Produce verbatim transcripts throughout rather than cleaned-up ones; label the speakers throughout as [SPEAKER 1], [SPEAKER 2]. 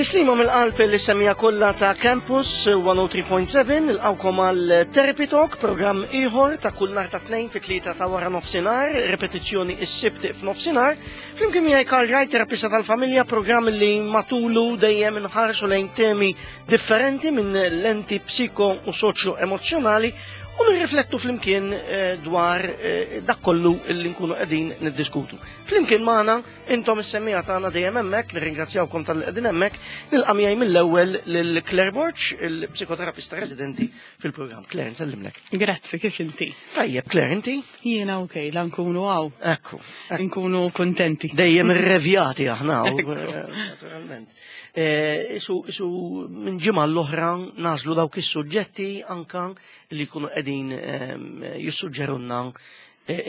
[SPEAKER 1] Tislima mill-qalb li semija kollha ta' Campus mija u tlieta punt seba', nilqgħukom għal Therapy Talk, programm ieħor ta' kull nhar ta' Tnejn fi tlieta ta' wara nofsinhar, repetizzjoni is-Sibt f'nofsinhar. Flimkien miegħi Karl Wright, terapista tal-familja, programm li matulu dejjem inħarsu lejn temi differenti minn lenti psiko u soċjo emozjonali u nirriflettu flimkien eh, dwar eh, dak kollu li nkunu qegħdin niddiskutu. Flimkien magħna intom is-semmiegħa tagħna dejjem hemmhekk, nirringrazzjawkom talli qegħdin hemmhekk, nilqa' miegħi mill-ewwel lil Claire Borg, il-psikoterapista residenti fil-programm. Claire, nsellimlek.
[SPEAKER 2] Grazzi, kif inti?
[SPEAKER 1] Tajjeb, Claire, inti?
[SPEAKER 2] Jiena ok, la nkunu hawn.
[SPEAKER 1] Ekku.
[SPEAKER 2] Nkunu kontenti.
[SPEAKER 1] Dejjem irrevjati aħna, eh, naturalment. Isu, isu minn ġimgħa l-oħra nagħżlu dawk is-suġġetti anka li jkunu qegħdin jissuġġerunna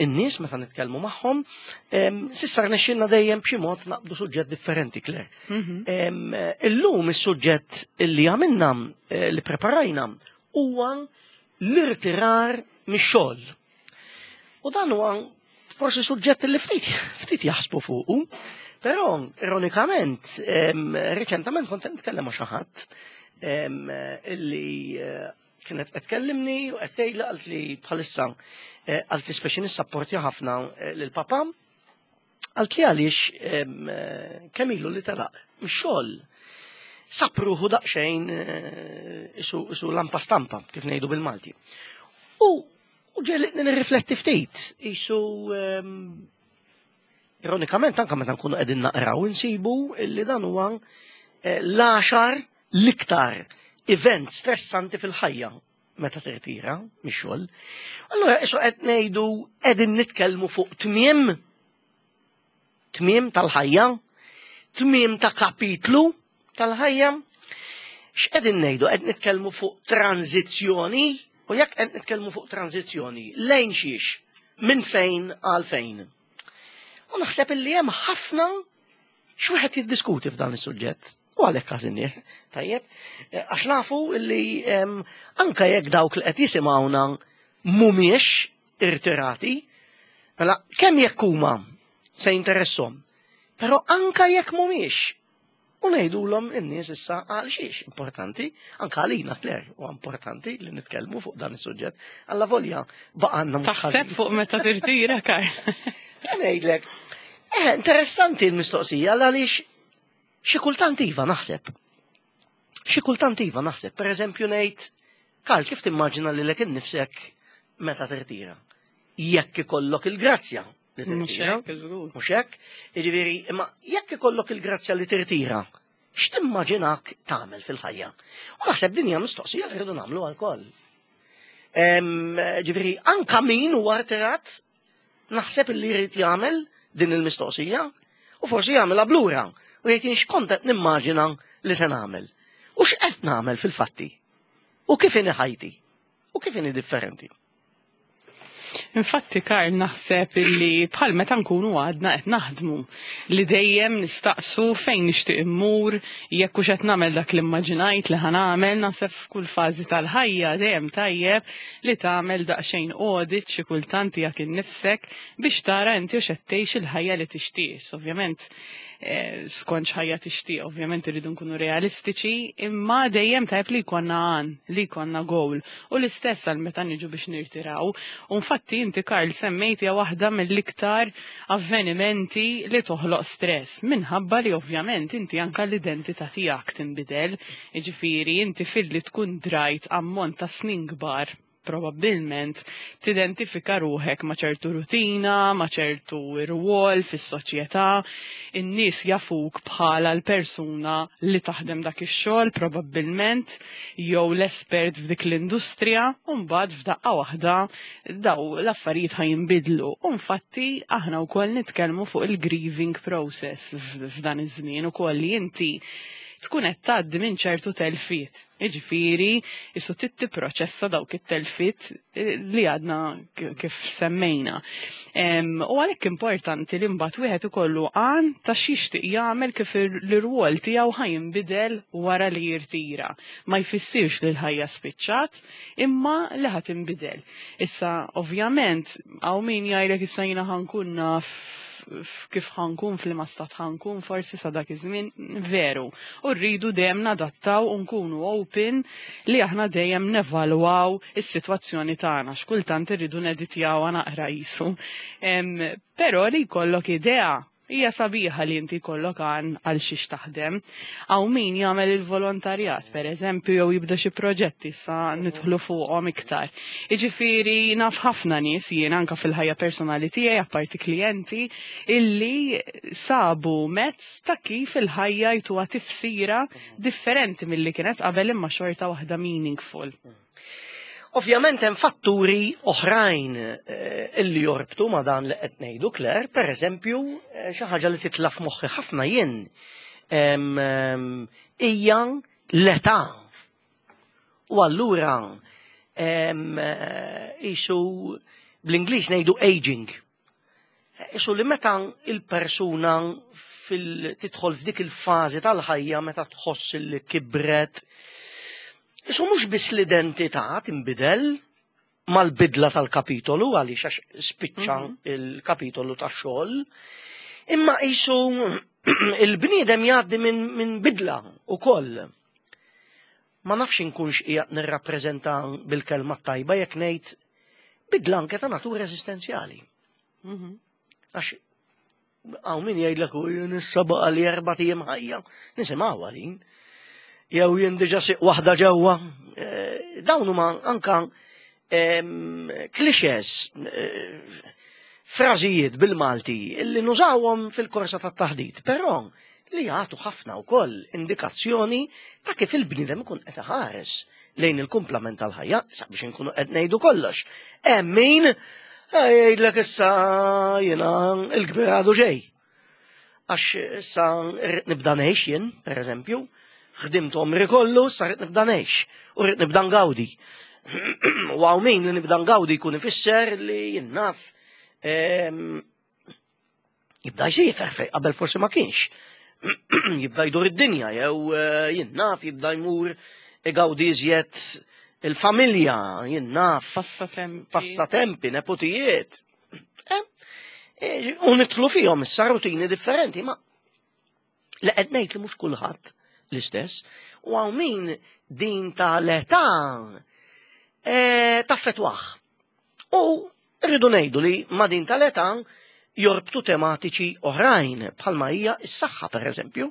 [SPEAKER 1] in-nies meta nitkellmu magħhom. S'issa rnexxilna dejjem b'xi mod naqbdu suġġett differenti, Claire.
[SPEAKER 2] Mhm.
[SPEAKER 1] Illum is-suġġett li għamilna, li preparajna, huwa l-irtirar mix-xogħol. U dan huwa forsi suġġett li ftit ftit jaħsbu fuqu, però ironikament reċentament kont nitkellem ma' xi ħadd illi kienet qed tkellimni u qed tgħidli, qalt li bħalissa, qalt li speċi nissapporti ħafna lil papà. Qalt li għaliex kemm ilu li telaq mix-xogħol sab ruħu daqsxejn isu, isu lampa stampa, kif ngħidu bil-Malti. U u ġegħlitni nirrifletti ftit, isu ironikament anka meta nkunu qegħdin naqraw insibu illi dan huwa l-għaxar l-iktar event stressanti fil-ħajja meta tirtira mix-xogħol. Allura isu qed ngħidu qegħdin nitkellmu fuq tmiem tmiem tal-ħajja, tmiem ta' kapitlu tal-ħajja. X'qegħdin ngħidu? Qed nitkellmu fuq tranzizzjoni, u jekk qed nitkellmu fuq tranzizzjoni, lejn xiex? Minn fejn għal fejn? U naħseb illi hemm ħafna x'wieħed jiddiskuti f'dan is-suġġett. U għalhekk għażilnieh, tajjeb, għax nafu illi anka jekk dawk li qed jisimgħuna mhumiex irtirati, mela kemm jekk huma se jinteressom, però anka jekk mhumiex, u ngħidulhom in-nies issa għal xiex importanti, anka għalina, Claire, u importanti li nitkellmu fuq dan is-suġġett. Alla volja baqgħanna mhux
[SPEAKER 2] Taħseb
[SPEAKER 1] ħażin.
[SPEAKER 2] fuq meta tirtira, Karl?
[SPEAKER 1] Ngħidlek, eh, interessanti l-mistoqsija għaliex xi kultant iva naħseb. Xi kultant iva naħseb. Per eżempju ngħid, Karl, kif timmaġina lilek innifsek meta tirtira? Jekk ikollok il-grazzja li
[SPEAKER 2] Mhux
[SPEAKER 1] tirtira.
[SPEAKER 2] hekk, żgur.
[SPEAKER 1] Mhux hekk? Jiġifieri, imma jekk ikollok il-grazzja li tirtira, x'timmaġinak tagħmel fil-ħajja? U naħseb din hija mistoqsija li rridu nagħmlu għal-koll. Ġifieri, anka min huwa rtirat, naħseb li jrid jagħmel din il-mistoqsija u forsi jagħmilha blura u jgħid jien x'kont qed nimmaġina li se nagħmel. U x'qed nagħmel fil-fatti? U kif inhi ħajti? U kif inhi differenti?
[SPEAKER 2] Infatti, Karl, naħseb illi bħal meta nkunu għadna qed naħdmu li dejjem nistaqsu fejn nixtieq immur, jekk hux qed nagħmel dak li immaġinajt li ħa nagħmel. Naħseb f'kull fażi tal-ħajja dejjem tajjeb li tagħmel daqsxejn audit xi kultant tiegħek innifsek biex tara inti hux qed tgħix il-ħajja li tixtieq. Ovvjament eh, skont x'ħajja tixtieq, ovvjament irridu nkunu realistiċi, imma dejjem tajb li jkollna għan, li jkollna goal. U l-istess għal meta niġu biex nirtiraw. U infatti inti, Karl, semmejt hija waħda mill-iktar avvenimenti li toħloq stress minħabba li ovvjament inti anka l-identità tiegħek tinbidel, jiġifieri inti filli tkun drajt ammont ta' snin kbar probabbilment tidentifika ruħek ma' ċertu rutina, ma' ċertu rwol fis-soċjetà, in-nies jafuk bħala l-persuna li taħdem dak ix-xogħol probabbilment jew l-espert f'dik l-industrija, u mbagħad f'daqqa waħda daw l-affarijiet ħa jinbidlu. U infatti aħna wkoll nitkellmu fuq il-grieving process f'dan iż-żmien ukoll, li inti tkun qed tgħaddi minn ċertu telfiet. Jiġifieri, isu trid tipproċessa dawk it-telfiet eh, li għadna kif semmejna. U għalhekk importanti li mbagħad wieħed ikollu għan ta' x'jixtieq jagħmel, kif l-irwol tiegħu ħa jinbidel wara li jirtira. Ma jfissirx li l-ħajja spiċċat, imma li ħa tinbidel. Issa, ovvjament, hawn min jgħidlek issa jiena ħa nkun naf kif ħa nkun, f'liema stat ħa nkun forsi sa dak iż-żmien, veru. U rridu dejjem nadattaw u nkunu open li aħna dejjem nevalwaw is-sitwazzjoni tagħna, x'kultant irridu neditjawha naqra qisu. Però li jkollok idea hija sabiħa li inti jkollok għan għal xiex taħdem. Hawn min jagħmel il-volontarjat, per eżempju, jew jibda xi proġetti sa nidħlu fuqhom iktar. Jiġifieri naf ħafna nies jien anka fil-ħajja personali tiegħi, apparti klijenti, illi sabu mezz ta' kif il-ħajja jtuha tifsira differenti milli kienet qabel, imma xorta waħda meaningful.
[SPEAKER 1] Ovvjament hemm fatturi oħrajn eh, illi jorbtu ma' dan li qed ngħidu, Claire, per eżempju, eh, xi ħaġa li titla' f'moħħi ħafna jien hija l-età. U allura qisu bl-Ingliż ngħidu aging. Qisu li meta il-persuna tidħol f'dik il-fażi tal-ħajja meta tħoss li kibret, qisu mhux biss l-identità tinbidel mal-bidla tal-kapitolu, għaliex għax spiċċa mhm. il-kapitolu tax-xogħol, imma qisu il-bniedem jgħaddi minn min bidla ukoll. Ma nafx inkunx qiegħed nirrappreżenta bil-kelma tajba jekk ngħid bidla anke ta' natura eżistenzjali. Mhm. Għax hawn min jgħidlek, "U jien issa baqa' li erbat ijiem ħajja." Nisimgħu din. Jew jien diġà siq waħda ġewwa. Eh, dawn huma anka clichés, eh, frażijiet bil-Malti illi nużawhom fil-korsa tat-taħdit, però li jagħtu ħafna wkoll indikazzjoni ta' kif il-bniedem ikun qed iħares lejn il-kumplament tal-ħajja, sabiex inkunu qed ngħidu kollox. Hemm min jgħidlek, "Issa jiena il-kbir għadu ġej. Għax issa rrid nibda ngħix jien, per eżempju, ħdimt għomri kollu, issa rrid nibda ngħix u rrid nibda ngawdi." U hawn min li nibda ngawdi jkun ifisser li jien naf jibda jsiefer fej qabel forsi ma kienx. Jibda jdur id-dinja jew eh, jien naf jibda jmur igawdi iżjed il-familja, jien naf.
[SPEAKER 2] Passatempi.
[SPEAKER 1] Passatempi, nepotijiet. Eh, eh, u nidħlu fihom issa rutini differenti, ma li qed ngħid li mhux kulħadd l-istess, u hawn min din ta' l-età eh, taffettwah. U rridu ngħidu li ma' din tal-età jorbtu tematiċi oħrajn, bħalma hija s-saħħa, per eżempju.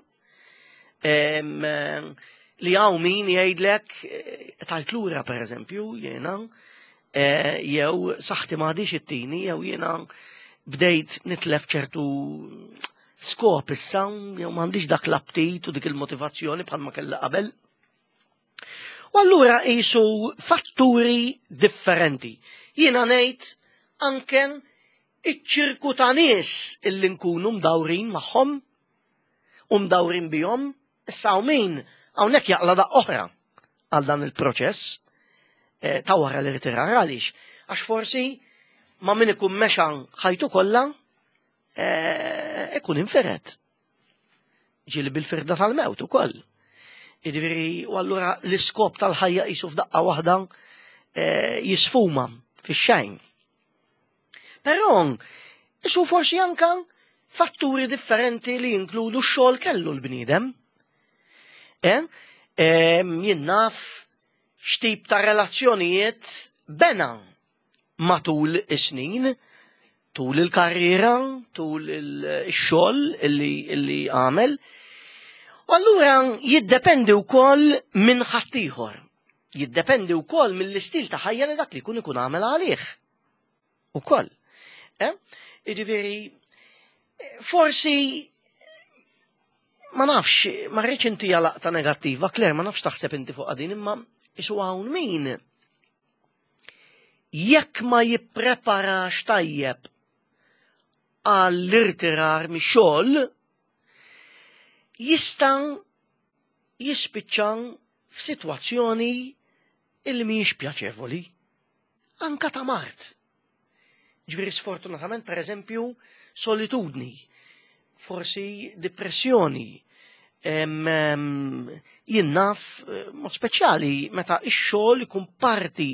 [SPEAKER 1] Li hawn min jgħidlek, eh, "Tajt lura, per eżempju, jiena, eh, jew saħħti m'għadhiex ittini, jew jiena bdejt nitlef ċertu skop issa, jew m'għandix dak l-aptit u dik il-motivazzjoni bħalma kella qabel." U allura qisu fatturi differenti. Jiena ngħid anke iċ-ċirku ta' nies illi nkunu mdawrin magħhom u mdawrin bihom, issa hawn min hawnhekk jaqla daqqa oħra għal dan il-proċess eh, ta' wara l-irtirar. Għaliex? Għax forsi ma' min ikun mexa ħajtu kollha eh, ikun infered. Ġieli bil-firda tal-mewt ukoll. Jiġifieri, u allura l-iskop tal-ħajja qisu f'daqqa waħda eh, jisfuma fix-xejn. Però qisu forsi anka fatturi differenti li jinkludu x-xogħol kellu l-bniedem. Eh? Jien naf x'tip ta' relazzjonijiet bena matul is-snin, tul il-karriera, tul il-xogħol illi, illi għamel. U allura jiddependi wkoll minn ħaddieħor. Jiddependi wkoll mill-istil ta' ħajja li dak li jkun ikun għamel għalih. Ukoll. Eh? Jiġifieri, forsi ma nafx, ma rridx inti laqta negattiva, Claire, ma nafx taħseb inti fuq din, imma qisu hawn min jekk ma jippreparax tajjeb għall-irtirar mix-xogħol jista' jispiċċa f'sitwazzjoni illi mhijiex pjaċevoli. Anka ta' mard. Ġifieri sfortunatament, per eżempju, solitudni, forsi depressjoni, jien naf, eh, mod speċjali meta ix-xogħol ikun parti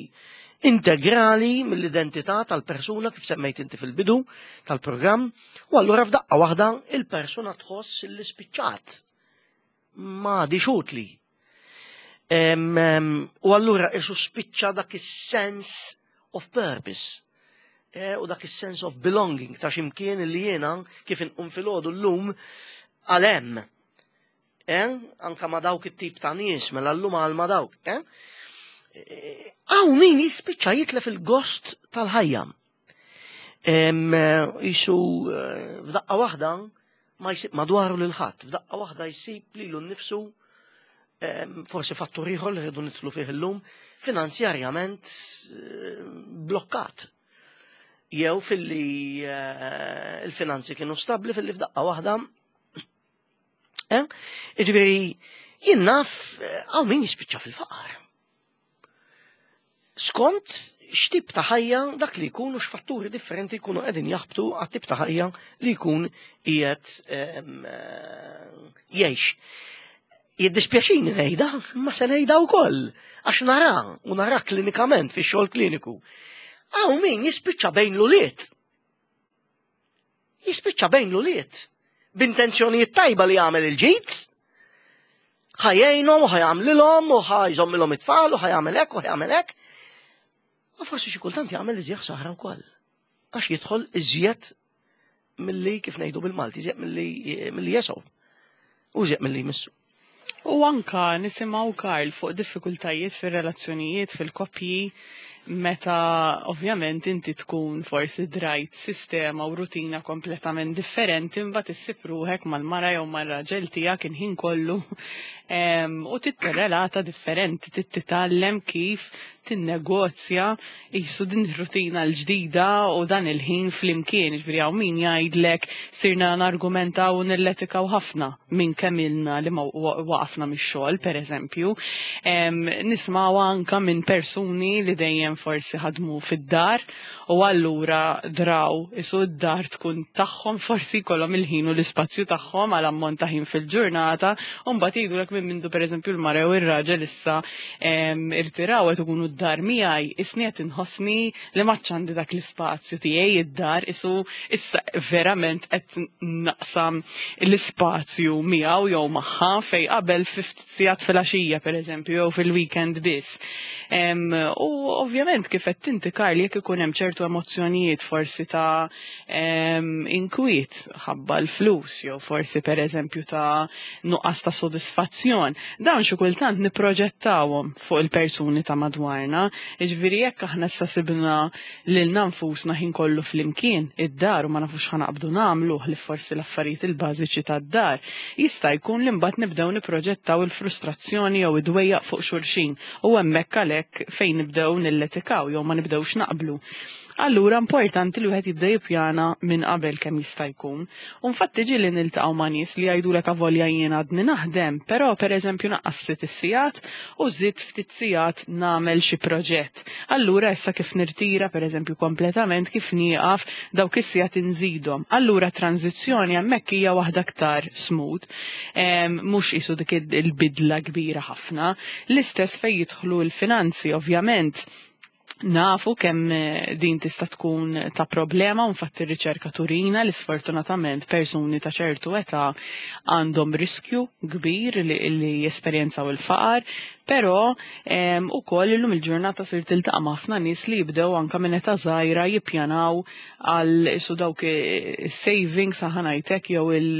[SPEAKER 1] Integrali mill-identità tal-persuna, kif semmejt inti fil-bidu tal-programm, u allura f'daqqa waħda il-persuna tħoss li spiċċat ma utli. U allura isu spiċċa dak is-sense of purpose e, u dak is-sense of belonging ta' ximkien li jiena kif inqum filgħodu llum għalem. Eh? Anka ma dawk it-tip ta' nies, mela llum għal ma dawk. Eh? Hawn min jispiċċa jitlef il-gost tal-ħajja. Isu eh, f'daqqa waħda ma jsib madwaru lil ħadd, f'daqqa waħda jsib lilu nnifsu, forsi fattur ieħor li rridu nidħlu fih illum, finanzjarjament eh, blokkat. Jew filli eh, il-finanzi kienu stabli, filli f'daqqa waħda. Eh? Iġifieri, jien naf hawn min jispiċċa fil-faqar. Skont x'tip ta' ħajja dak li jkun u x'fatturi differenti jkunu qegħdin jaħbtu għat-tip ta' ħajja li jkun qiegħed jgħix. Jiddispjaċini ngħidha, ma se ngħidha wkoll, għax nara u nara klinikament fix-xogħol kliniku. Hawn min jispiċċa bejn l-ulied. Jispiċċa bejn l-ulied. B'intenzjonijiet tajba li jagħmel il-ġid, ħa jgħinhom u ħa jagħmlilhom u ħa jżommilhom it-tfal u ħa jagħmel hekk u ħa jagħmel hekk. U forsi xi kultant jagħmel iżjed ħsara wkoll. Għax jidħol iżjed milli, kif ngħidu bil-Malti, iżjed milli milli jesgħu. U iżjed milli jmissu.
[SPEAKER 2] U anka nisimgħu, Karl, fuq diffikultajiet fir-relazzjonijiet, fil-koppji, meta ovvjament inti tkun forsi drajt sistema u rutina kompletament differenti, imbagħad issib ruħek mal-mara jew mar-raġel tiegħek il-ħin kollu u titterrelata differenti, titgħallem kif tinnegozja jisu din ir-rutina l-ġdida u dan il-ħin flimkien. Ġifieri hawn min jgħidlek sirna nargumentaw u nilletikaw ħafna minn kemm ilna li ma waqafna mix-xogħol, pereżempju. Nismaw anka minn persuni li dejjem forsi ħadmu fid-dar u allura draw isu d-dar tkun tagħhom, forsi jkollhom il-ħin u l-ispazju tagħhom għal ammont ta' ħin fil-ġurnata, u mbagħad jgħidulek minn mindu pereżempju l-mara u r-raġel issa irtiraw qed ikunu d-dar miegħi, isni qed inħossni li m'għadx għandi dak l-ispazju tiegħi id-dar, isu issa verament qed naqsam l-ispazju miegħu jew magħha fej qabel ftit sigħat fil-għaxija, pereżempju, jew fil-weekend biss. U ovvjament, kif qed inti, Karl, jekk ikun hemm ċertu emozzjonijiet forsi ta' inkwiet ħabba l-flus jew forsi pereżempju ta' nuqqas ta' sodisfazzjon, dawn xi kultant nipproġettawhom fuq il-persuni ta' madwarna. Jiġifieri jekk aħna issa sibna lilna nfusna ħin kollu flimkien id-dar u ma nafux ħa naqbdu nagħmlu li forsi l-affarijiet il-bażiċi tad-dar, jista' jkun li mbagħad nibdew nipproġettaw il-frustrazzjoni jew id-dwejjaq fuq xulxin u hemmhekk għalhekk fejn nibdew nilletikaw jew ma nibdewx naqblu. Allura importanti li wieħed jibda jippjana minn qabel kemm jista' jkun. U infatti ġieli niltaqgħu ma' nies li jgħidulek avolja jien għadni naħdem, però pereżempju naqqas ftit is-sigħat u żid ftit sigħat nagħmel xi proġett. Allura issa kif nirtira pereżempju kompletament, kif nieqaf, dawk is-sigħat inżidhom. Allura tranzizzjoni hemmhekk hija waħda aktar smooth, mhux qisu dik il-bidla kbira ħafna. L-istess fejn jidħlu l-finanzi, ovvjament nafu kemm eh, din tista' tkun ta' problema, u infatti r-riċerka turina li sfortunatament persuni ta' ċertu età għandhom riskju kbir li, li jesperjenzaw il-faqar, però ukoll illum il-ġurnata sir tiltaqa' ma' ħafna nies li jibdew anka minn età żgħira jippjanaw għal isu dawk savings, ħa ngħidlek, jew il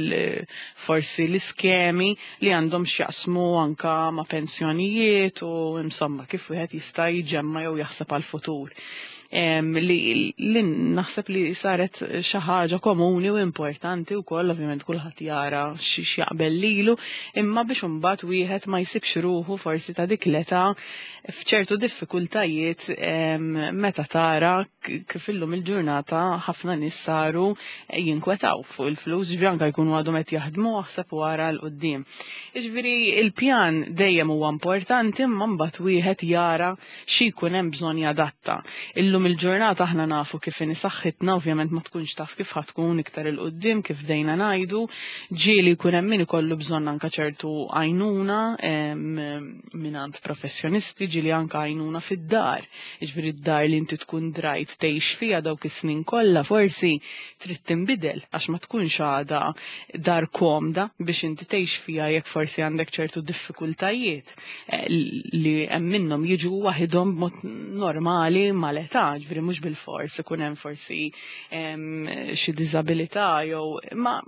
[SPEAKER 2] forsi l-iskemi li għandhom x'jaqsmu anka ma' pensjonijiet u insomma kif wieħed jista' jġemma jew jaħseb għal futur. Li, li naħseb li saret xi ħaġa komuni u importanti wkoll, ovvjament kulħadd jara x'jaqbel lilu, imma biex imbagħad wieħed ma jsibx ruħu forsi ta' dik l-età f'ċertu diffikultajiet, meta tara kif illum il-ġurnata ħafna nies saru jinkwetaw fuq il-flus, ġifieri anke jkunu għadhom qed jaħdmu, aħseb wara 'l quddiem. Jiġifieri il-pjan dejjem huwa importanti, imma mbagħad wieħed jara xi jkun hemm bżonn jadatta. Illum il-ġurnata aħna nafu kif inhi saħħitna, ovvjament ma tkunx taf kif ħa tkun iktar 'il quddiem, kif dejna ngħidu, ġieli jkun hemm min ikollu bżonn anke ċertu għajnuna minn mingħand professjonisti, ġieli anka għajnuna fid-dar. Jiġifieri d-dar li inti tkun drajt tgħix fiha dawk is-snin kollha forsi trid tinbidel għax ma tkunx għadha dar komda biex inti tgħix fiha jekk forsi għandek ċertu diffikultajiet eh, li hemm minnhom jiġu waħidhom b'mod normali mal-età, ġifieri mhux bil-fors ikun hemm forsi xi diżabilità jew ma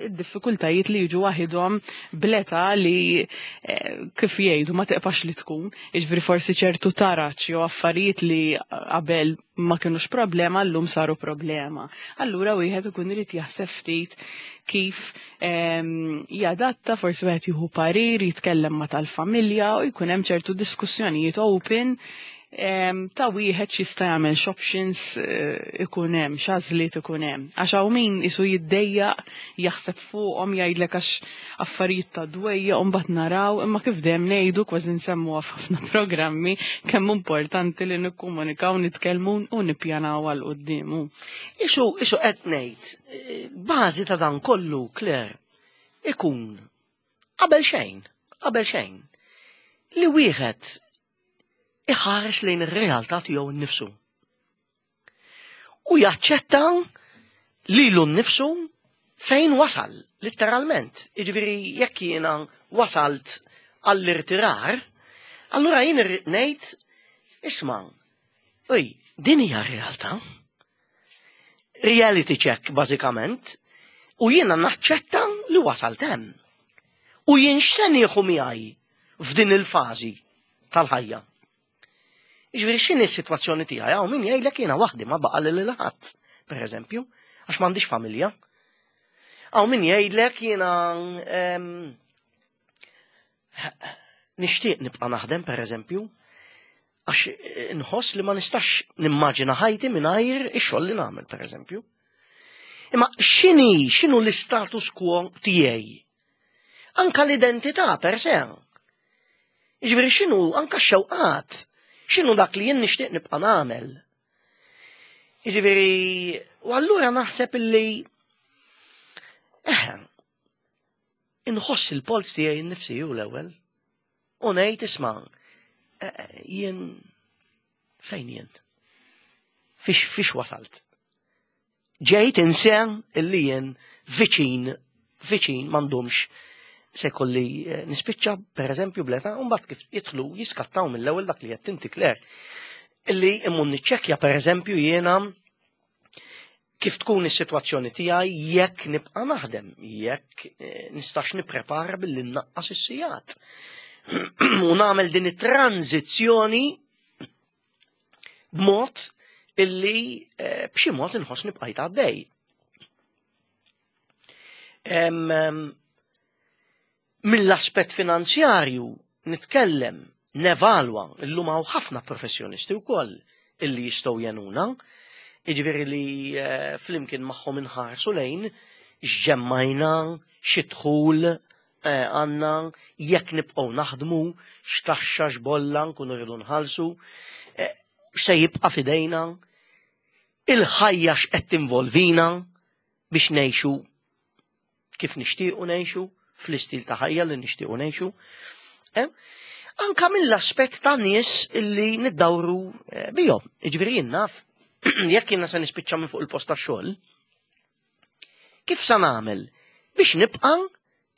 [SPEAKER 2] id-diffikultajiet li jiġu waħidhom bl-età li eh, kif jgħidu ma teqpax li tkun, jiġifieri forsi ċertu taraċ jew affarijiet li qabel ma kienux problema llum saru problema. Allura wieħed ikun irid jaħseb ftit kif ehm, jadatta, forsi wieħed jieħu parir, jitkellem ma' tal-familja u jkun hemm ċertu diskussjonijiet open ta' wieħed x'jista' jagħmel, x'options eh, ikun hemm, x'għażliet ikun hemm. Għax hawn min isu jiddejjaq jaħseb fuqhom, jgħidlek għax affarijiet ta' dwejja u mbagħad naraw, imma kif dejjem ngħidu, kważi nsemmuha f'ħafna programmi, kemm importanti li nikkomunikaw, nitkellmu u nippjanaw għal quddiemu.
[SPEAKER 1] Isu isu qed ngħid, eh, bażi ta' dan kollu, Claire, ikun qabel xejn, qabel xejn, li wieħed iħares lejn ir-realtà tiegħu nnifsu. U jaċċetta lilu nnifsu fejn wasal, letteralment. Jiġifieri jekk jiena wasalt għall-irtirar, allura jien irrid ngħid, isma', oj, din hija realtà. Reality check, bażikament, u jiena naċċetta li wasalt hemm. U jien x'se nieħu miegħi f'din il-fażi tal-ħajja? Jiġifieri x'inhi s-sitwazzjoni tiegħi? Hawn min jgħidlek jiena waħdi, ma baqa' lil ħadd, pereżempju, għax m'għandix familja. Hawn min jgħidlek jiena em, nixtieq nibqa' naħdem, pereżempju, għax nħoss li ma nistax nimmaġina ħajti mingħajr ix-xogħol li nagħmel, pereżempju. Imma x'inhi, x'inhu l-istatus quo tiegħi? Anka l-identità per se. Jiġifieri x'inhu anka x-xewqat, x'inhu dak li jien nixtieq nibqa' nagħmel. Jiġifieri, u allura naħseb illi eh, inħoss il-polz tiegħi nnifsi hu l-ewwel. U ngħid, isma', eh, eh, jien fejn jien? Fiex, fiex wasalt? Ġejt insen illi jien viċin, viċin m'għandhomx se kolli eh, nispiċċa, per eżempju, bl-età, u mbagħad kif jidħlu jiskattaw mill-ewwel dak li qed inti, Claire. Illi immun niċċekkja, per eżempju, jiena kif tkun is-sitwazzjoni tiegħi jekk nibqa' naħdem, jekk eh, nistax nipprepara billi nnaqqas is-sigħat. U nagħmel din it-tranzizzjoni b'mod illi eh, b'xi mod inħoss nibqa' għaddej. Em, em, Mill-aspett finanzjarju nitkellem, nevalwa, illum hawn ħafna professjonisti wkoll illi jistgħu jgħinuna, jiġifieri li eh, flimkien magħhom inħarsu lejn x'ġemmajna, xi dħul eh, għandna, jekk nibqgħu naħdmu, x'taxxa, x'bolla nkunu rridu nħallsu, eh, x'se jibqa' f'idejna, il-ħajja x'qed tinvolvina biex ngħixu kif nixtiequ ngħixu, fl-istil ta' ħajja li nixtiequ ngħixu. Eh? Anka mill-aspett ta' nies illi niddawru eh, bihom. Jiġifieri jien naf, jekk jiena se nispiċċa minn fuq il-post tax-xogħol, kif sa nagħmel biex nibqa'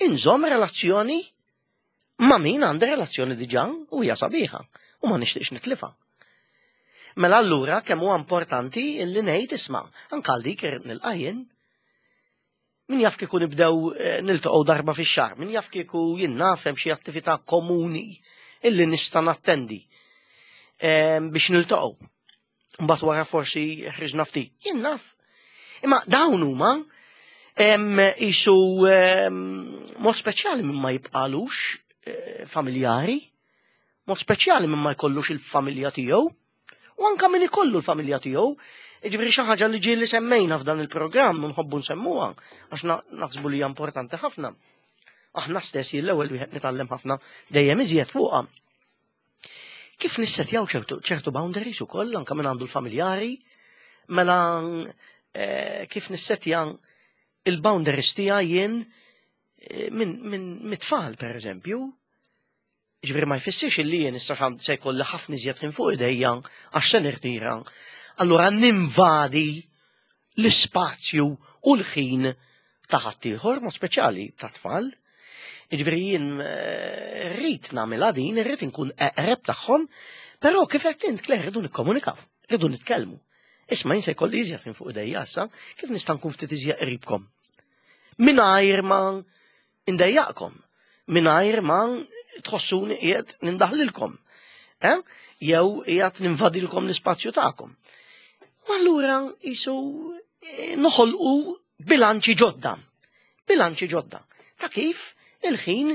[SPEAKER 1] inżomm relazzjoni ma' min għandi relazzjoni diġà u hija sabiħa u ma nixtieqx nitlifa? Mela allura kemm huwa importanti illi ngħid, isma', anke għal dik irrid nilqa' jien. Min jaf kieku nibdew eh, niltaqgħu darba fix-xahar, min jaf kieku jien naf hemm xi attività komuni illi nista' nattendi eh, biex niltaqgħu. Mbagħad wara forsi ħriġna ftit. Jien naf. Imma dawn huma isu mod speċjali minn ma jibqalux eh, familjari, mod speċjali minn ma jkollux il-familja tiegħu, u anka min ikollu l-familja tiegħu, jiġifieri xi ħaġa li ġieli semmejna f'dan il-programm u nħobbu nsemmuha għax naħsbu li hija importanti ħafna. Aħna stess jien l-ewwel wieħed nitgħallem ħafna dejjem iżjed fuqha. Kif nissetjaw ċertu, ċertu boundaries ukoll anka minn għandu l-familjari, mela eh, kif nissetja il-boundaries tiegħi jien eh, minn min mit-tfal, per eżempju, Ġifieri ma jfissirx li jien issa se jkolli ħafna iżjed ħin fuq idejja għax se nirtira. Allura ninvadi l-ispazju u l-ħin ta' ħaddieħor, mod speċjali ta' tfal. Ġifieri jien eh, rrid nagħmilha din, rrid inkun eqreb tagħhom, però kif qed int Claire rridu nikkomunikaw, rridu nitkellmu. Isma' jien se jkolli iżjed ħin fuq idejja issa, kif nista' nkun ftit iżjed qribkom? Mingħajr ma ndejjaqkom, mingħajr ma tħossuni qiegħed nindaħlilkom. Eh? Jew qiegħed ninvadilkom l-ispazju tagħkom. U allura jisu eh, noħolqu bilanċi ġodda. Bilanċi ġodda. Ta' kif il-ħin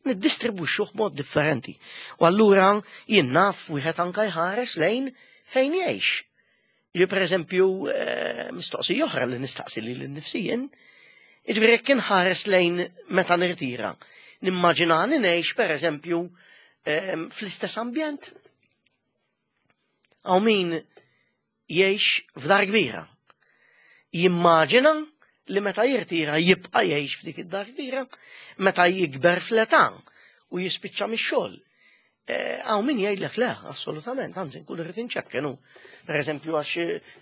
[SPEAKER 1] niddistribwixxuh b'mod differenti. U allura jien naf wieħed anka jħares lejn fejn jgħix. Ġi per eżempju, eh, mistoqsija oħra li nistaqsi lili nnifsi jien, jiġifieri jekk inħares lejn meta nirtira, nimmaġinani ngħix per eżempju eh, fl-istess ambjent. Hawn min jgħix f'dar kbira. Jimmaġina li meta jirtira jibqa' jgħix f'dik id-dar kbira, meta jikber fl-età u jispiċċa mix-xogħol. Hawn min jgħidlek le, assolutament, anzi nkun irrid inċekkenu. Per eżempju, għax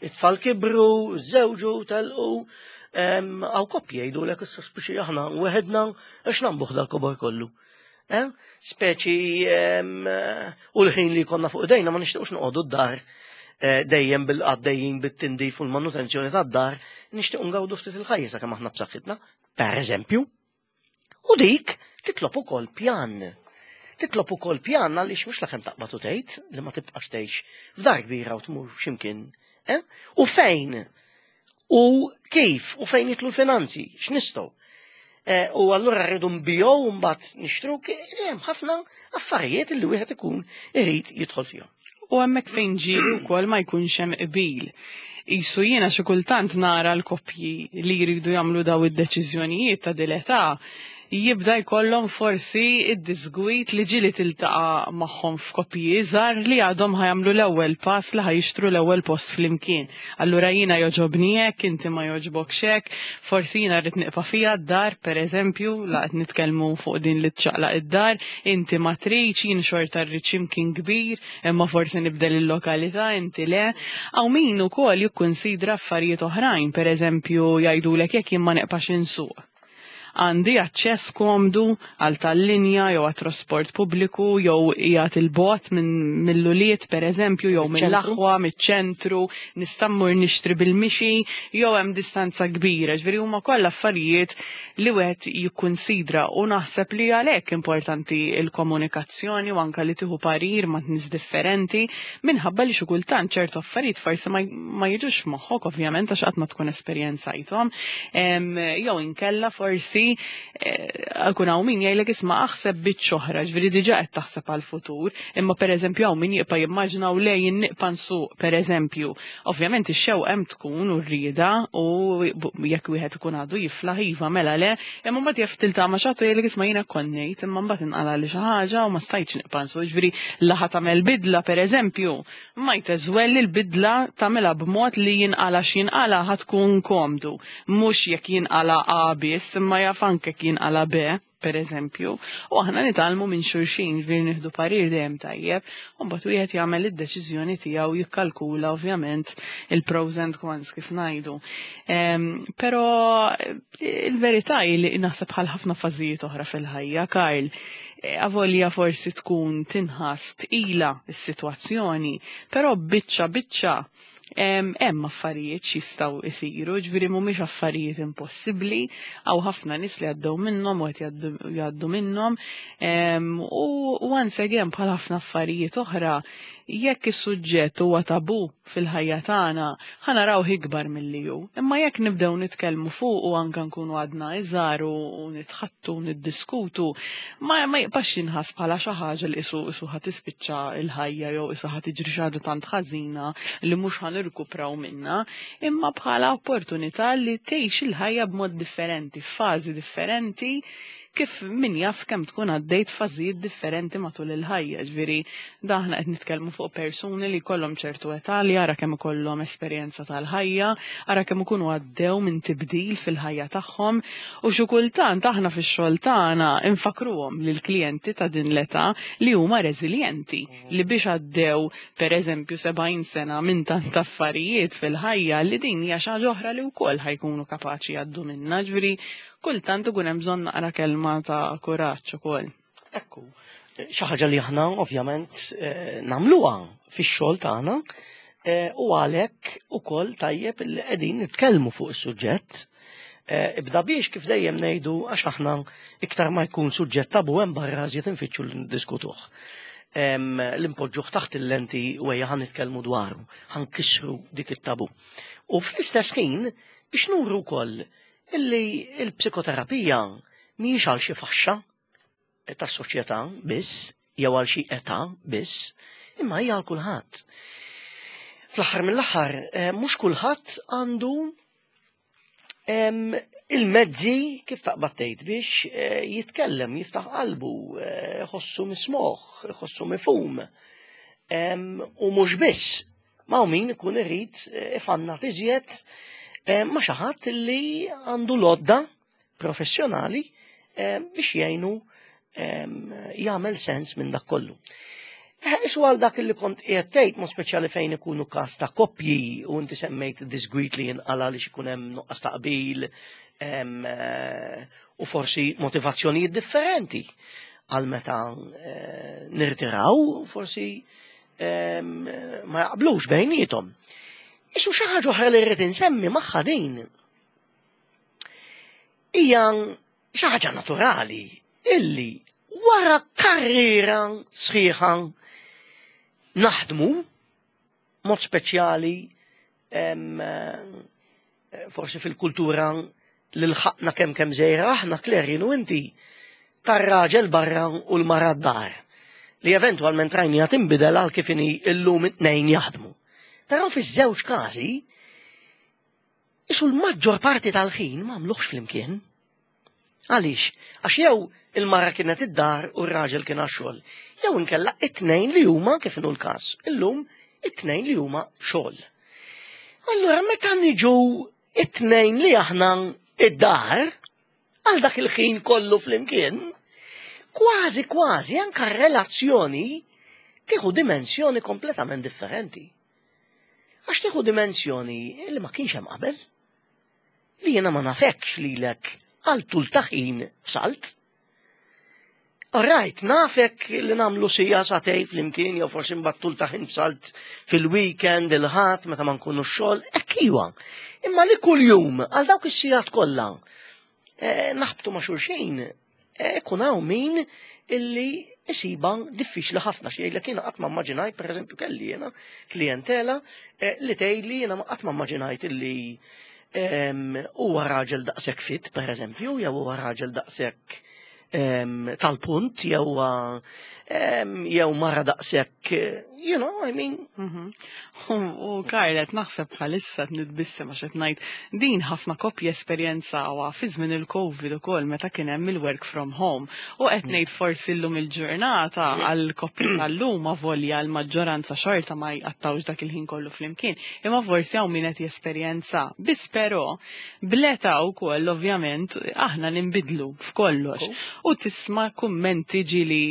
[SPEAKER 1] it-tfal kibru, żewġu, telqu, hawn koppji jgħidulek issa speċi aħna weħedna għax nagħmbuh dal-kobor kollu. Eh? Speċi u l-ħin li konna fuq idejna ma nixtiequx noqogħdu d-dar eh, dejjem bil-għaddejjin bit-tindif u l-manutenzjoni tad-dar, nixtiequ ngawdu ftit il-ħajja sakemm aħna b'saħħitna, per eżempju. U dik titlob ukoll pjan. Titlob ukoll pjan għaliex mhux lakemm taqbad u tgħid li ma tibqax tgħix f'dar kbira u tmur x'imkien. Eh? U fejn? U kif? U fejn jidħlu l-finanzi? X'nistgħu? Eh, u allura rridu nbigħu u mbagħad nixtru hemm ħafna affarijiet li wieħed ikun irid jidħol fihom.
[SPEAKER 2] U hemmhekk fejn ġieli wkoll ma jkunx hemm qbil. Isu jiena xi kultant nara l-koppji li jridu jagħmlu daw id-deċiżjonijiet ta' dil-età jibda jkollhom forsi id-disgwit li ġieli tiltaqa' magħhom f'koppji iżgħar li għadhom ħa jagħmlu l-ewwel pass li ħa jixtru l-ewwel post flimkien. Allura jiena jogħġobni hekk, inti ma jogħġbokx hekk, forsi jiena rrid nibqa' fija d-dar pereżempju, la qed nitkellmu fuq din li tċaqlaq id-dar, inti ma tridx, jien xorta rrid x'imkien kbir, imma forsi nibdel il-lokalità, inti le. Hawn min ukoll jikkunsidra affarijiet oħrajn, pereżempju jgħidulek jekk jien ma neqpax insuq. Għandi aċċess komdu għal tal-linja jew għat trasport pubbliku jew qiegħed il-bogħod minn mill-ulied pereżempju jew mill-aħwa, miċ-ċentru, nista' mmur nixtri bil-mixi jew hemm distanza kbira. Ġifieri huma kollha affarijiet li wieħed jikkunsidra u naħseb li għalhekk importanti l-komunikazzjoni u anke li tieħu parir ma' nies differenti minħabba li xi kultant ċertu affarijiet forsi ma, ma jiġux f'moħħok ovvjament għax qatt ma tkun esperjenzajthom. Jew inkella forsi ikun hawn min jgħidlek isma' aħseb biċċa oħra, ġifieri diġà qed taħseb għall-futur, imma pereżempju hawn min jibqa' jimmaġinaw le jien nibqa' nsuq pereżempju. Ovvjament ix-xewqa hemm tkun u r-rieda u jekk wieħed ikun għadu jiflaħ iva mela le, imma mbagħad jaf tiltaqa' ma' xi ħadd u jgħidlek isma' jiena konnejt, imma mbagħad inqala' li xi ħaġa u ma stajtx nibqa' nsuq, ġifieri laħa tagħmel bidla pereżempju, might as well il-bidla tagħmilha b'mod li jinqala x'jinqala ħa tkun komdu, mhux jekk jinqala A biss, imma jaf anke jekk jinqala B, per eżempju, u aħna nitgħallmu minn xulxin, ġifieri nieħdu parir dejjem tajjeb, u mbagħad wieħed jagħmel id-deċiżjoni tiegħu jikkalkula ovvjament il-pros and cons kif ngħidu. Però il-verità hi li naħseb bħal ħafna fażijiet oħra fil-ħajja, Karl, avolja forsi tkun tinħass tqila s-sitwazzjoni, però biċċa biċċa hemm affarijiet x'jistgħu jsiru, ġifieri mhumiex affarijiet impossibbli, hawn ħafna nies li għaddew minnhom u qed jgħaddu minnhom, u once again bħal ħafna affarijiet oħra, jekk is-suġġett huwa tabu fil-ħajja tagħna, ħa narawh ikbar milli hu. Imma jekk nibdew nitkellmu fuq u anke nkunu għadna iżgħar u nitħattu niddiskutu, ma, ma jibqax jinħass bħala xi ħaġa li isu isu ħa tispiċċa l-ħajja jew isu ħa tiġri xi ħaġa tant ħażina li mhux ħa nirkupraw minnha, imma bħala opportunità li tgħix il-ħajja b'mod differenti, f'fażi differenti, kif min jaf kemm tkun għaddejt fażijiet differenti matul il-ħajja, ġifieri daħna qed nitkellmu fuq persuni li kollhom ċertu età li ara kemm ikollhom esperjenza tal-ħajja, ara kemm ikunu għaddew minn tibdil fil-ħajja tagħhom u xi kultant aħna fix-xogħol tagħna infakruhom lill-klijenti ta' din l-età li huma reżiljenti li biex għaddew pereżempju sebgħin sena minn tant affarijiet fil-ħajja li din hija xi ħaġa oħra li wkoll ħa jkunu kapaċi jgħaddu minnha. Ġifieri kultant ikun hemm bżonn naqra kelma ta' kuraġġ ukoll.
[SPEAKER 1] Ekku, xi ħaġa li aħna ovvjament eh, nagħmluha fix-xogħol tagħna eh, u għalhekk ukoll tajjeb li qegħdin nitkellmu fuq is-suġġett. Eh, ibda biex kif dejjem ngħidu għax aħna iktar ma jkun suġġett tabu hemm barra żjed infittxu li ndiskutuh. L-impoġġuh taħt il-lenti u ejja ħa nitkellmu dwaru, ħa nkissru dik it-tabu. U fl-istess ħin biex nuru wkoll illi il-psikoterapija mhijiex għal xi faxxa tas-soċjetà biss, jew għal xi età biss, imma hija għal kulħadd. Fl-aħħar mill-aħħar, eh, mhux kulħadd għandu il-mezzi kif taqbad tgħid biex eh, jitkellem, jiftaħ qalbu, eh, ħossu mismoħ, ħossu mifhum. U mhux biss, ma' min ikun irid ifannat iżjed ma' xi ħadd li għandu l-għodda professjonali biex jgħinu jagħmel sens minn dak kollu. Isu għal dak li kont qiegħed tgħid mod speċjali fejn ikunu każ ta' koppji u inti semmejt disgwit li jinqala li ikun hemm nuqqas ta' qbil u forsi motivazzjonijiet differenti għal meta eh, nirtiraw forsi ma jaqblux bejniethom. Isu xi ħaġa oħra li rrid insemmi magħha din hija xi ħaġa naturali illi wara karriera sħiħa naħdmu mod speċjali forsi fil-kultura li lħaqna kemm kemm żejra aħna Claire u inti tar-raġel barra u l-mara d-dar li eventwalment rajnija tinbidel għal kif inhi illum it-tnejn jaħdmu. Però fiż-żewġ każi isu l-maġġor parti tal-ħin ma għamluhx flimkien. Għaliex? Għax jew il-mara kienet id-dar u r-raġel kien għax-xogħol. Jew inkella it-tnejn li huma kif inhu l-każ. Illum it-tnejn li huma xogħol. Allura meta niġu it-tnejn li aħna id-dar għal dak il-ħin kollu flimkien, kważi kważi anka relazzjoni tieħu dimensjoni kompletament differenti. Għax tieħu dimensjoni li ma kienx hemm qabel. Li jiena ma nafekx lilek għal tul ta' ħin f'salt. Alright, nafek li nagħmlu siegħa sagħtejn flimkien, jew forsi mbagħad tul ta' ħin f'salt fil-weekend, il-ħadd, meta ma nkunu xogħol, hekk iwa. Imma li kuljum għal dawk is-sigħat kollha eh, naħbtu ma' xulxin, eh, ikun hawn min illi isiba diffiċli ħafna xi jgħidlek jiena qatt ma immaġinajt, pereżempju kelli jiena klientela eh, li tgħidli jiena qatt ma immaġinajt illi huwa raġel daqshekk fit, pereżempju, jew huwa raġel daqshekk tal-punt, jew jew mara daqshekk, you know, I mean.
[SPEAKER 2] Mhm. U Karlet, naħseb bħalissa nitbissem għax qed ngħid din ħafna koppji esperjenzawha fi żmien il-Covid ukoll meta kien hemm il-work from home. U qed ngħid forsi llum il-ġurnata għal koppji tal-lum avolja l-maġġoranza xorta ma jqattawx dak il-ħin kollu flimkien. Imma forsi hawn min qed jesperjenza. Biss però bl-età wkoll ovvjament aħna ninbidlu f'kollox. U tisma' kummenti ġieli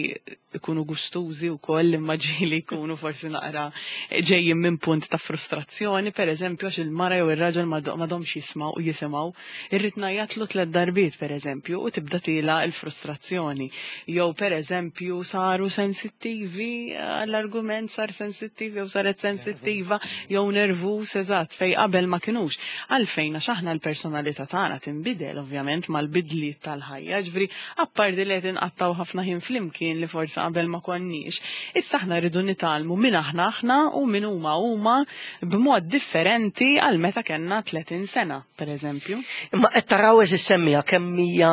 [SPEAKER 2] ikunu gustużi wkoll imma ġieli jkunu forsi naqra ġejjin minn punt ta' frustrazzjoni, per eżempju, għax il-mara jew ir-raġel m'għadhomx jismaw u jisimgħu, irrid ngħajjatlu tliet darbiet per eżempju u tibda tila l-frustrazzjoni. Jew per eżempju saru sensittivi, l-argument sar sensittiv jew saret sensittiva jew nervus eżatt fej qabel ma kinux. Għalfejn għax aħna l-personalità tagħna tinbidel ovvjament mal-bidliet tal-ħajja, ġifieri apparti li qed inqattgħu ħafna ħin flimkien li forsi qabel ma konniex. Issa aħna rridu nitgħallmu min aħna aħna u min huma huma b'mod differenti għal meta kellna tletin sena, per eżempju.
[SPEAKER 1] Imma qed taraw eżis semmija kemm hija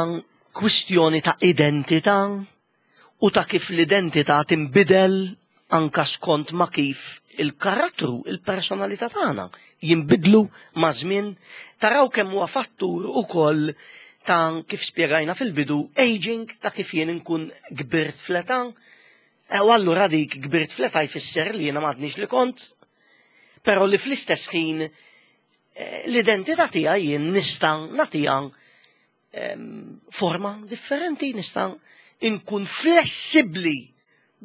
[SPEAKER 1] kwistjoni ta' identità u ta' kif l-identità tinbidel anka skont ma' kif il-karattru, il-personalità tagħna jinbidlu ma' żmien. Taraw kemm huwa fattur ukoll ta' kif spjegajna fil-bidu, aging, ta' kif jien inkun kbirt fl-età, E, u allura dik kbirt fl-età jfisser li jiena m'għadniex li kont, però li fl-istess ħin eh, l-identità tiegħi jien nista' nagħtiha forma differenti, nista' inkun flessibbli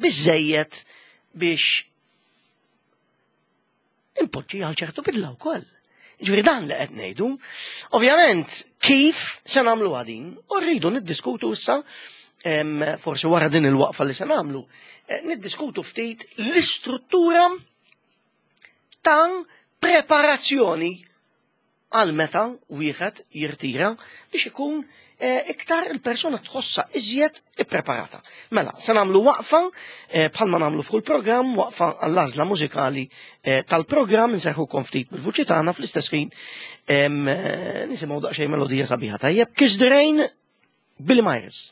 [SPEAKER 1] biżejjed biex impoġġi għal ċertu bidla wkoll. Ġifieri dan li qed ngħidu. Ovvjament, kif se nagħmlu din? U rridu niddiskutu issa, forsi wara din il-waqfa li se nagħmlu, eh, niddiskutu ftit l-istruttura ta' preparazzjoni għal meta wieħed jirtira biex ikun eh, iktar il-persona tħossa iżjed ippreparata. Mela, se nagħmlu waqfa eh, bħalma nagħmlu fuq il-programm, waqfa għall-għażla mużikali eh, tal-programm, nserħu ftit bil-vuċi tagħna fl-istess ħin nisimgħu daqsxejn melodija sabiħa tajjeb. Kiss the Rain, Billy Myers.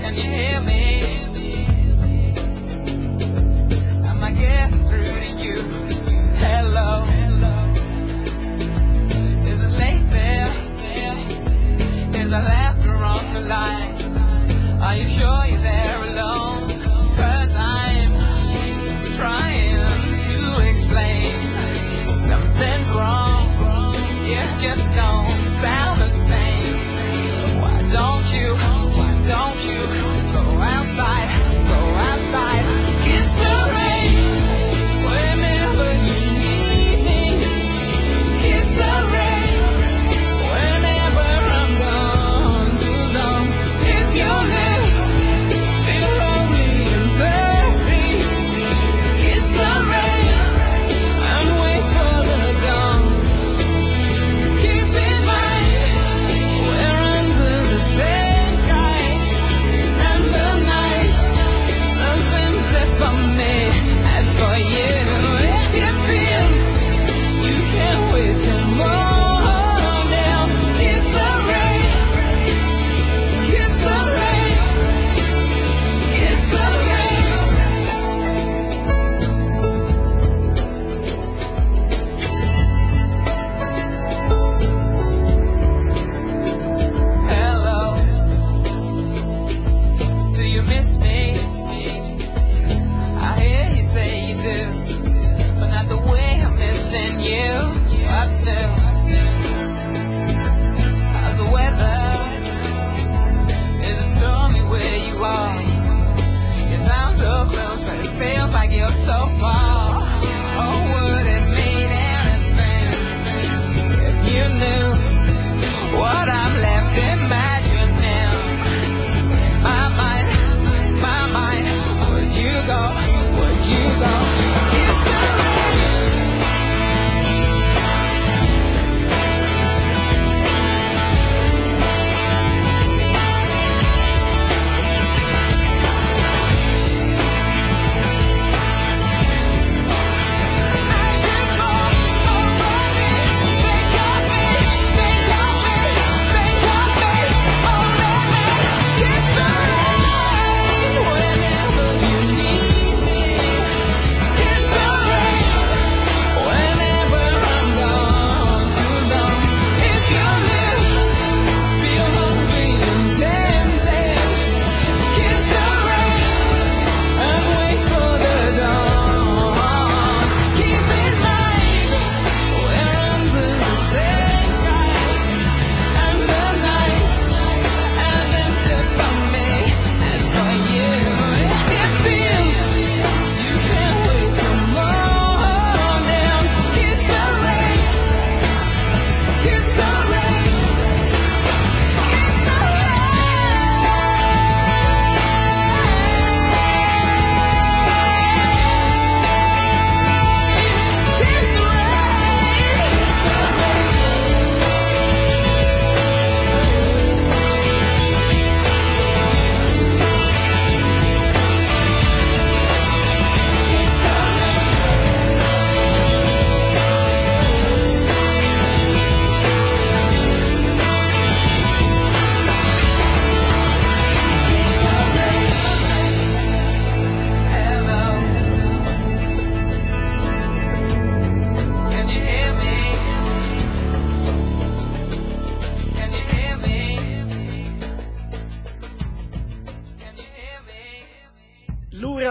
[SPEAKER 3] Can you hear me? Am I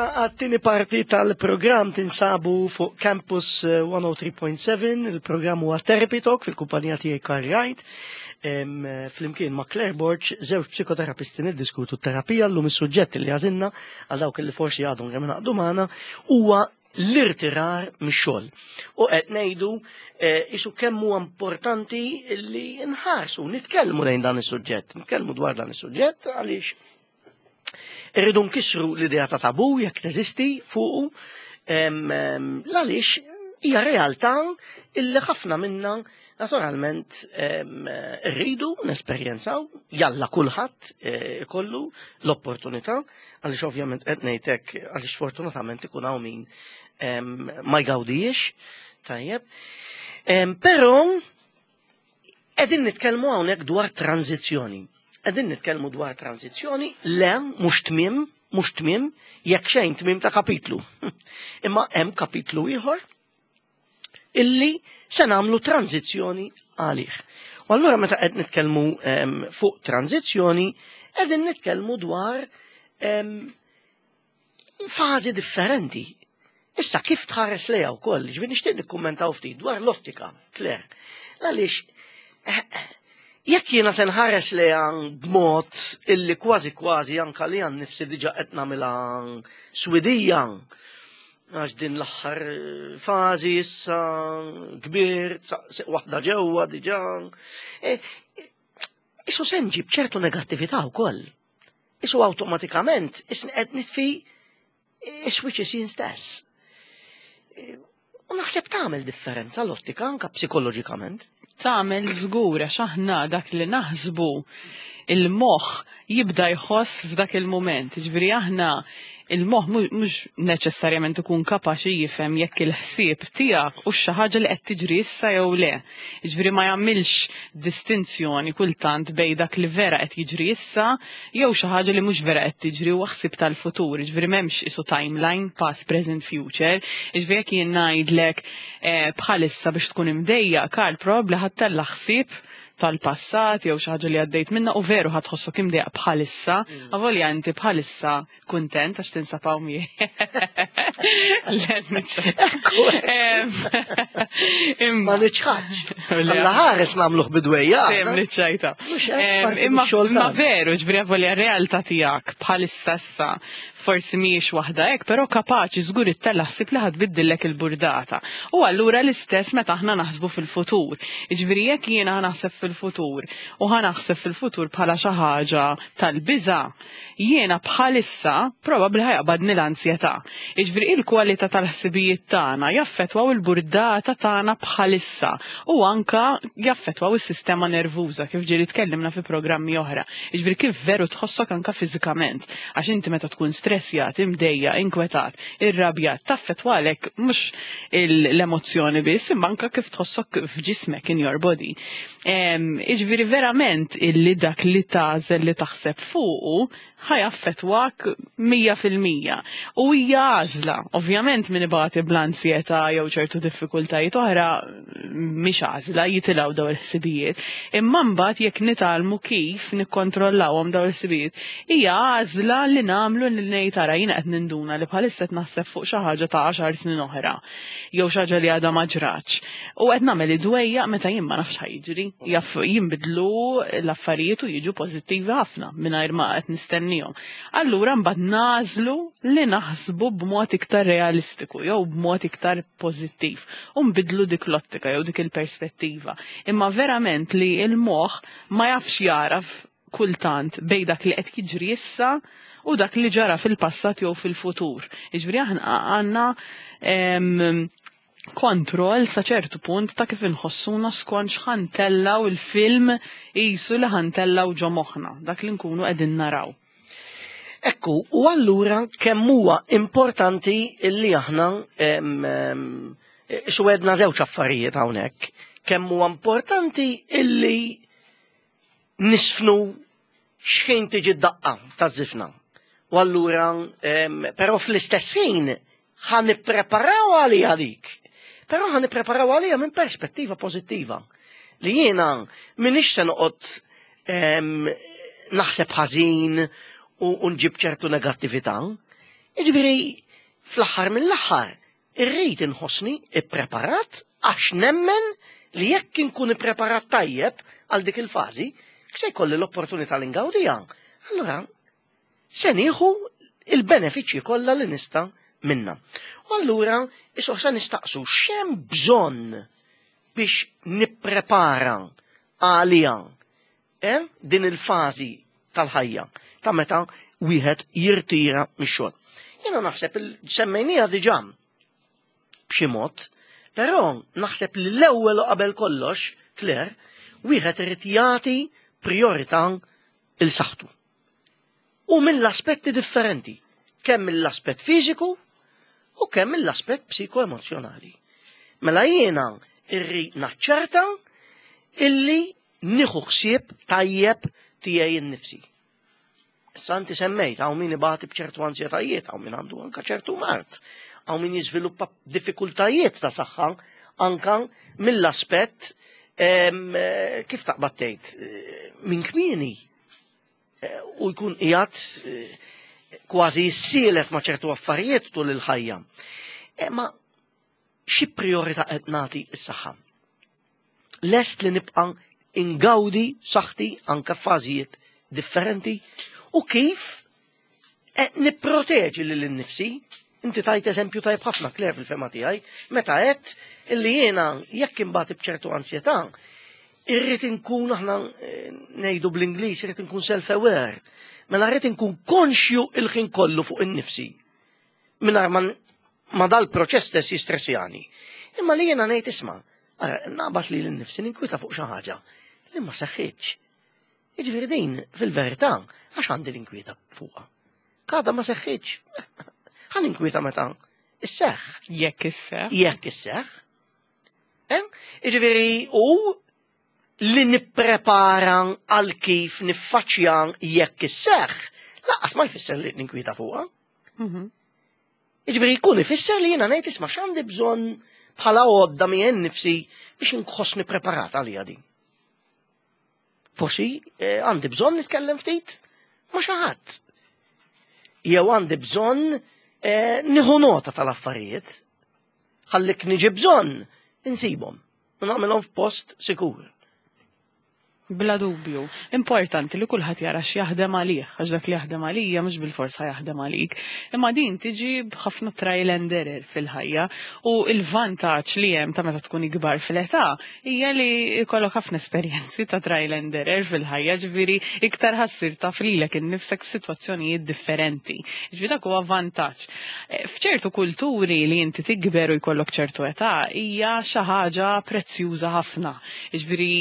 [SPEAKER 1] Għat-tieni parti tal-programm tinsabu fuq Campus eh, mija u tlieta punt seba', il-programm huwa Therapy Talk fil-kumpanija tiegħi Karl Wright. Em, eh, Flimkien ma' Claire Borg, żewġ psikoterapisti niddiskutu terapija. Llum is-suġġett li għażilna, għal dawk li forsi għadhom kemm ingħaqdu magħna, huwa l-irtirar mix-xogħol. U qed ngħidu eh, isu kemm huwa importanti li nħarsu, nitkellmu lejn dan is-suġġett, nitkellmu dwar dan is-suġġett għaliex irridu nkissru l-idea ta' tabu jekk teżisti fuqu, em, em, għaliex hija realtà illi ħafna minna naturalment em, irridu nesperjenzaw, jalla kulħadd eh, ikollu l-opportunità, għaliex ovvjament qed ngħidlek għaliex fortunatament ikun hawn min em, ma jgawdijiex, tajjeb. Em, Però qegħdin nitkellmu hawnhekk dwar tranzizzjoni. Qegħdin nitkellmu dwar tranzizzjoni, le mhux tmiem, mhux tmiem, jekk xejn tmiem ta' kapitlu. Imma hemm kapitlu ieħor illi se nagħmlu tranzizzjoni għalih. U allura meta qed nitkellmu em, fuq tranzizzjoni, qegħdin nitkellmu dwar em, fażi differenti. Issa kif tħares lejha wkoll, ġifieri nixtieq nikkummentaw ftit dwar l-ottika, Claire. Għaliex eh, eh, jekk jiena se nħares lejha b'mod illi kważi kważi anka li għan nifsi diġà qed nagħmilha swidija, għax din l-aħħar fażi issa kbir, saq waħda ġewwa diġà. E, Isu se nġib ċertu negattività wkoll. Isu awtomatikament isni qed nitfi is-switches jien stess. E, U naħseb tagħmel differenza l-ottika anka psikoloġikament.
[SPEAKER 2] Tagħmel żgur, għax aħna dak li naħsbu il-moħħ jibda jħoss f'dak il-moment. Ġifieri aħna il-moħħ mhux neċessarjament ikun kapaċi jifhem jekk il-ħsieb tiegħek u xi ħaġa li qed tiġri issa jew le. Ġifieri ma jagħmilx distinzjoni kultant bejn dak li vera qed jiġri issa jew xi ħaġa li mhux vera qed tiġri u ħsieb tal-futur. Ġifieri m'hemmx isu timeline, past, present, future. Ġifieri jekk jien ngħidlek eh, bħalissa biex tkun imdejjaq, Karl, probabbli ħa ttella' ħsieb tal-passat jew xi ħaġa li għaddejt minna u veru ħa tħossok imdejjaq bħalissa, avolja inti bħalissa kuntent għax tinsab hawn miegħi. Le, niċċajta.
[SPEAKER 1] Ma niċħadx. Alla ħares nagħmluh bidwejja.
[SPEAKER 2] Dejjem niċċajta.
[SPEAKER 1] Mhux hekk,
[SPEAKER 2] Em,
[SPEAKER 1] parti
[SPEAKER 2] Imma
[SPEAKER 1] mix-xogħol
[SPEAKER 2] imma
[SPEAKER 1] tagħna.
[SPEAKER 2] veru, ġifieri avolja realtà tiegħek bħalissa issa forsi mhijiex waħda hekk, però kapaċi żgur ittella' ħsieb li ħa tbiddillek il-burdata. U allura l-istess meta aħna naħsbu fil-futur. Ġifieri jekk jiena naħseb fil-futur u ħa naħseb fil-futur bħala xi ħaġa tal-biża', jiena bħalissa probabbli ħa jaqbadni l-ansjetà. Ġifieri il-kwalità tal-ħsibijiet tagħna jaffettwaw il-burdata tagħna bħalissa u anka jaffettwaw is-sistema nervuża, kif ġieli tkellimna fi programmi oħra. Ġifieri kif veru tħossok anka fiżikament, għax inti meta tkun stressjat, imdejjaq, inkwetat, irrabjat, taffettwalek mhux l-emozzjoni biss, imma anka kif tħossok f'ġismek, in your body. Em, Ġifieri verament illi dak li tagħżel li taħseb fuqu ħa jaffettwak mija fil-mija. U hija għażla, ovvjament min ibati bl-ansjetà jew ċertu diffikultajiet oħra mhix għażla, jitilgħu daw il-ħsibijiet. Imma mbagħad jekk nitgħallmu kif nikkontrollawhom daw il-ħsibijiet, hija għażla li nagħmlu li ngħid, "Ara, jiena qed ninduna li bħalissa qed naħseb fuq xi ħaġa ta' għaxar snin oħra jew xi ħaġa li għadha ma ġratx. U qed nagħmel id-dwejja meta jien ma nafx ħajġri." Jaf jinbidlu l-affarijiet u jiġu pożittivi ħafna mingħajr ma qed nistennihom. Allura mbagħad nagħżlu li naħsbu b'mod iktar realistiku jew b'mod iktar pożittiv u nbidlu dik l-ottika jew dik il-perspettiva. Imma verament li il-moħħ ma jafx jaraf kultant bejn dak li qed jiġri issa u dak li ġara fil-passat jew fil-futur. Jiġifieri aħna għandna em, kontroll sa ċertu punt ta' kif inħossuna skont x'ħa ntellgħu il-film qisu li ħa ntellgħu ġo moħħna, dak li nkunu qegħdin naraw.
[SPEAKER 1] Ekku, u allura kemm huwa importanti illi aħna em, em, xwedna żewġ affarijiet hawnhekk. Kemm huwa importanti illi nisfnu x'ħin tiġi d-daqqa ta' żifna. U allura, em, però fl-istess ħin ħa nippreparaw għalija dik. Però ħa nippreparaw għalija minn perspettiva pożittiva. Li jiena minix se noqgħod em, naħseb ħażin u u nġib ċertu negattività. Jiġifieri fl-aħħar mill-aħħar irrid inħossni ippreparat għax nemmen li jekk inkun ippreparat tajjeb għal dik il-fażi, se jkolli l-opportunità li ngawdiha. Allura se nieħu il-benefiċċji kollha li nista' minna. U allura issa se nistaqsu x'hemm bżonn biex nipprepara għalija eh? din il-fażi tal-ħajja ta' meta wieħed jirtira mix-xogħol. Jiena naħseb semmejnija diġà b'xi mod, però naħseb li l-ewwel u qabel kollox, Claire, wieħed irid jagħti priorità il saħħtu. U mill-aspetti differenti, kemm mill-aspett fiżiku u kemm mill-aspett psikoemozjonali. Mela jiena irrid naċċerta illi nieħu ħsieb tajjeb tiegħi nnifsi. Issa inti semmejt, hawn min ibati b'ċertu ansjetajiet, hawn min għandu anka ċertu mard, hawn min jiżviluppa diffikultajiet ta' saħħa anka mill-aspett eh, kif taqbad tgħid eh, minn kmieni eh, u jkun qiegħed kważi jissielet ma' ċertu affarijiet tul il-ħajja. Ma xi priorità qed nagħti s-saħħa? Lest li nibqa' ingawdi saħħti anka f'fażijiet differenti u kif qed nipproteġi lil innifsi. Inti tajt eżempju tajb ħafna, Claire, fil-fehma tiegħi, meta qed illi jiena jekk imbagħad b'ċertu ansjetà, irrid inkun aħna eh, ngħidu bl-Ingliż irrid inkun self-aware. Mela rrid inkun konxju il-ħin kollu fuq innifsi. Mingħajr ma, ma dal-proċess stess jistressjani. Imma li jiena ngħid isma' ara, naqbad li l-nifsi ninkwita fuq xi ħaġa li ma seħħitx. Jiġifieri din fil-verità għax għandi l-inkwieta fuqha. Għadha ma seħħitx. Ħa ninkwieta meta isseħħ.
[SPEAKER 2] Jekk isseħħ.
[SPEAKER 1] Jekk isseħħ. Eh? Jiġifieri u li nipprepara għal kif niffaċċja jekk isseħħ, lanqas ma jfisser li ninkwieta fuqha.
[SPEAKER 2] Mhm.
[SPEAKER 1] Jiġifieri jkun ifisser li jiena ngħid isma' x'għandi bżonn bħala għodda miegħi nnifsi biex inħossni preparat għalija din. Forsi eh, għandi bżonn nitkellem ftit ma' xi ħadd. Jew għandi bżonn eh, nieħu nota tal-affarijiet. Ħallik niġi bżonn insibhom. U nagħmilhom f'post sikur.
[SPEAKER 2] Bla dubju. Importanti li kulħadd jara x'jaħdem għalih, għax dak li jaħdem għalija mhux bilforsa jaħdem għalik. Imma din tiġi b'ħafna trial and error fil-ħajja u il-vantaġġ li hemm ta' meta tkun ikbar fil-età hija li jkollok ħafna esperjenzi ta' trial and error fil-ħajja, ġifieri iktar ħa ssir taf lilek innifsek f'sitwazzjonijiet differenti. Ġifieri dak huwa vantaġġ. Eh, F'ċertu kulturi li inti tikber u jkollok ċertu età hija xi ħaġa prezzjuża ħafna. Ġifieri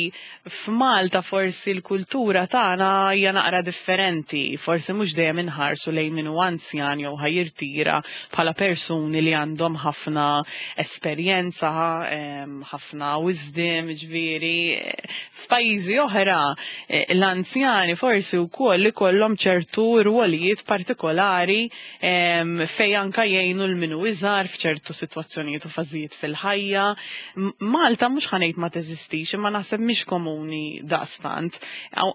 [SPEAKER 2] f'Malta forsi l-kultura tagħna hija naqra differenti, forsi mhux dejjem inħarsu lejn min hu anzjan jew ħa jirtira bħala persuni li għandhom ħafna esperjenza, em, ħafna wisdom, ġifieri. F'pajjiżi oħra eh, l-anzjani forsi wkoll ikollhom ċertu rwolijiet partikolari em, fejn anka jgħinu lil min hu iżgħar f'ċertu sitwazzjonijiet u fażijiet fil-ħajja. M- Malta mhux ħa ngħid ma teżistix, imma naħseb mhix komuni daqstant.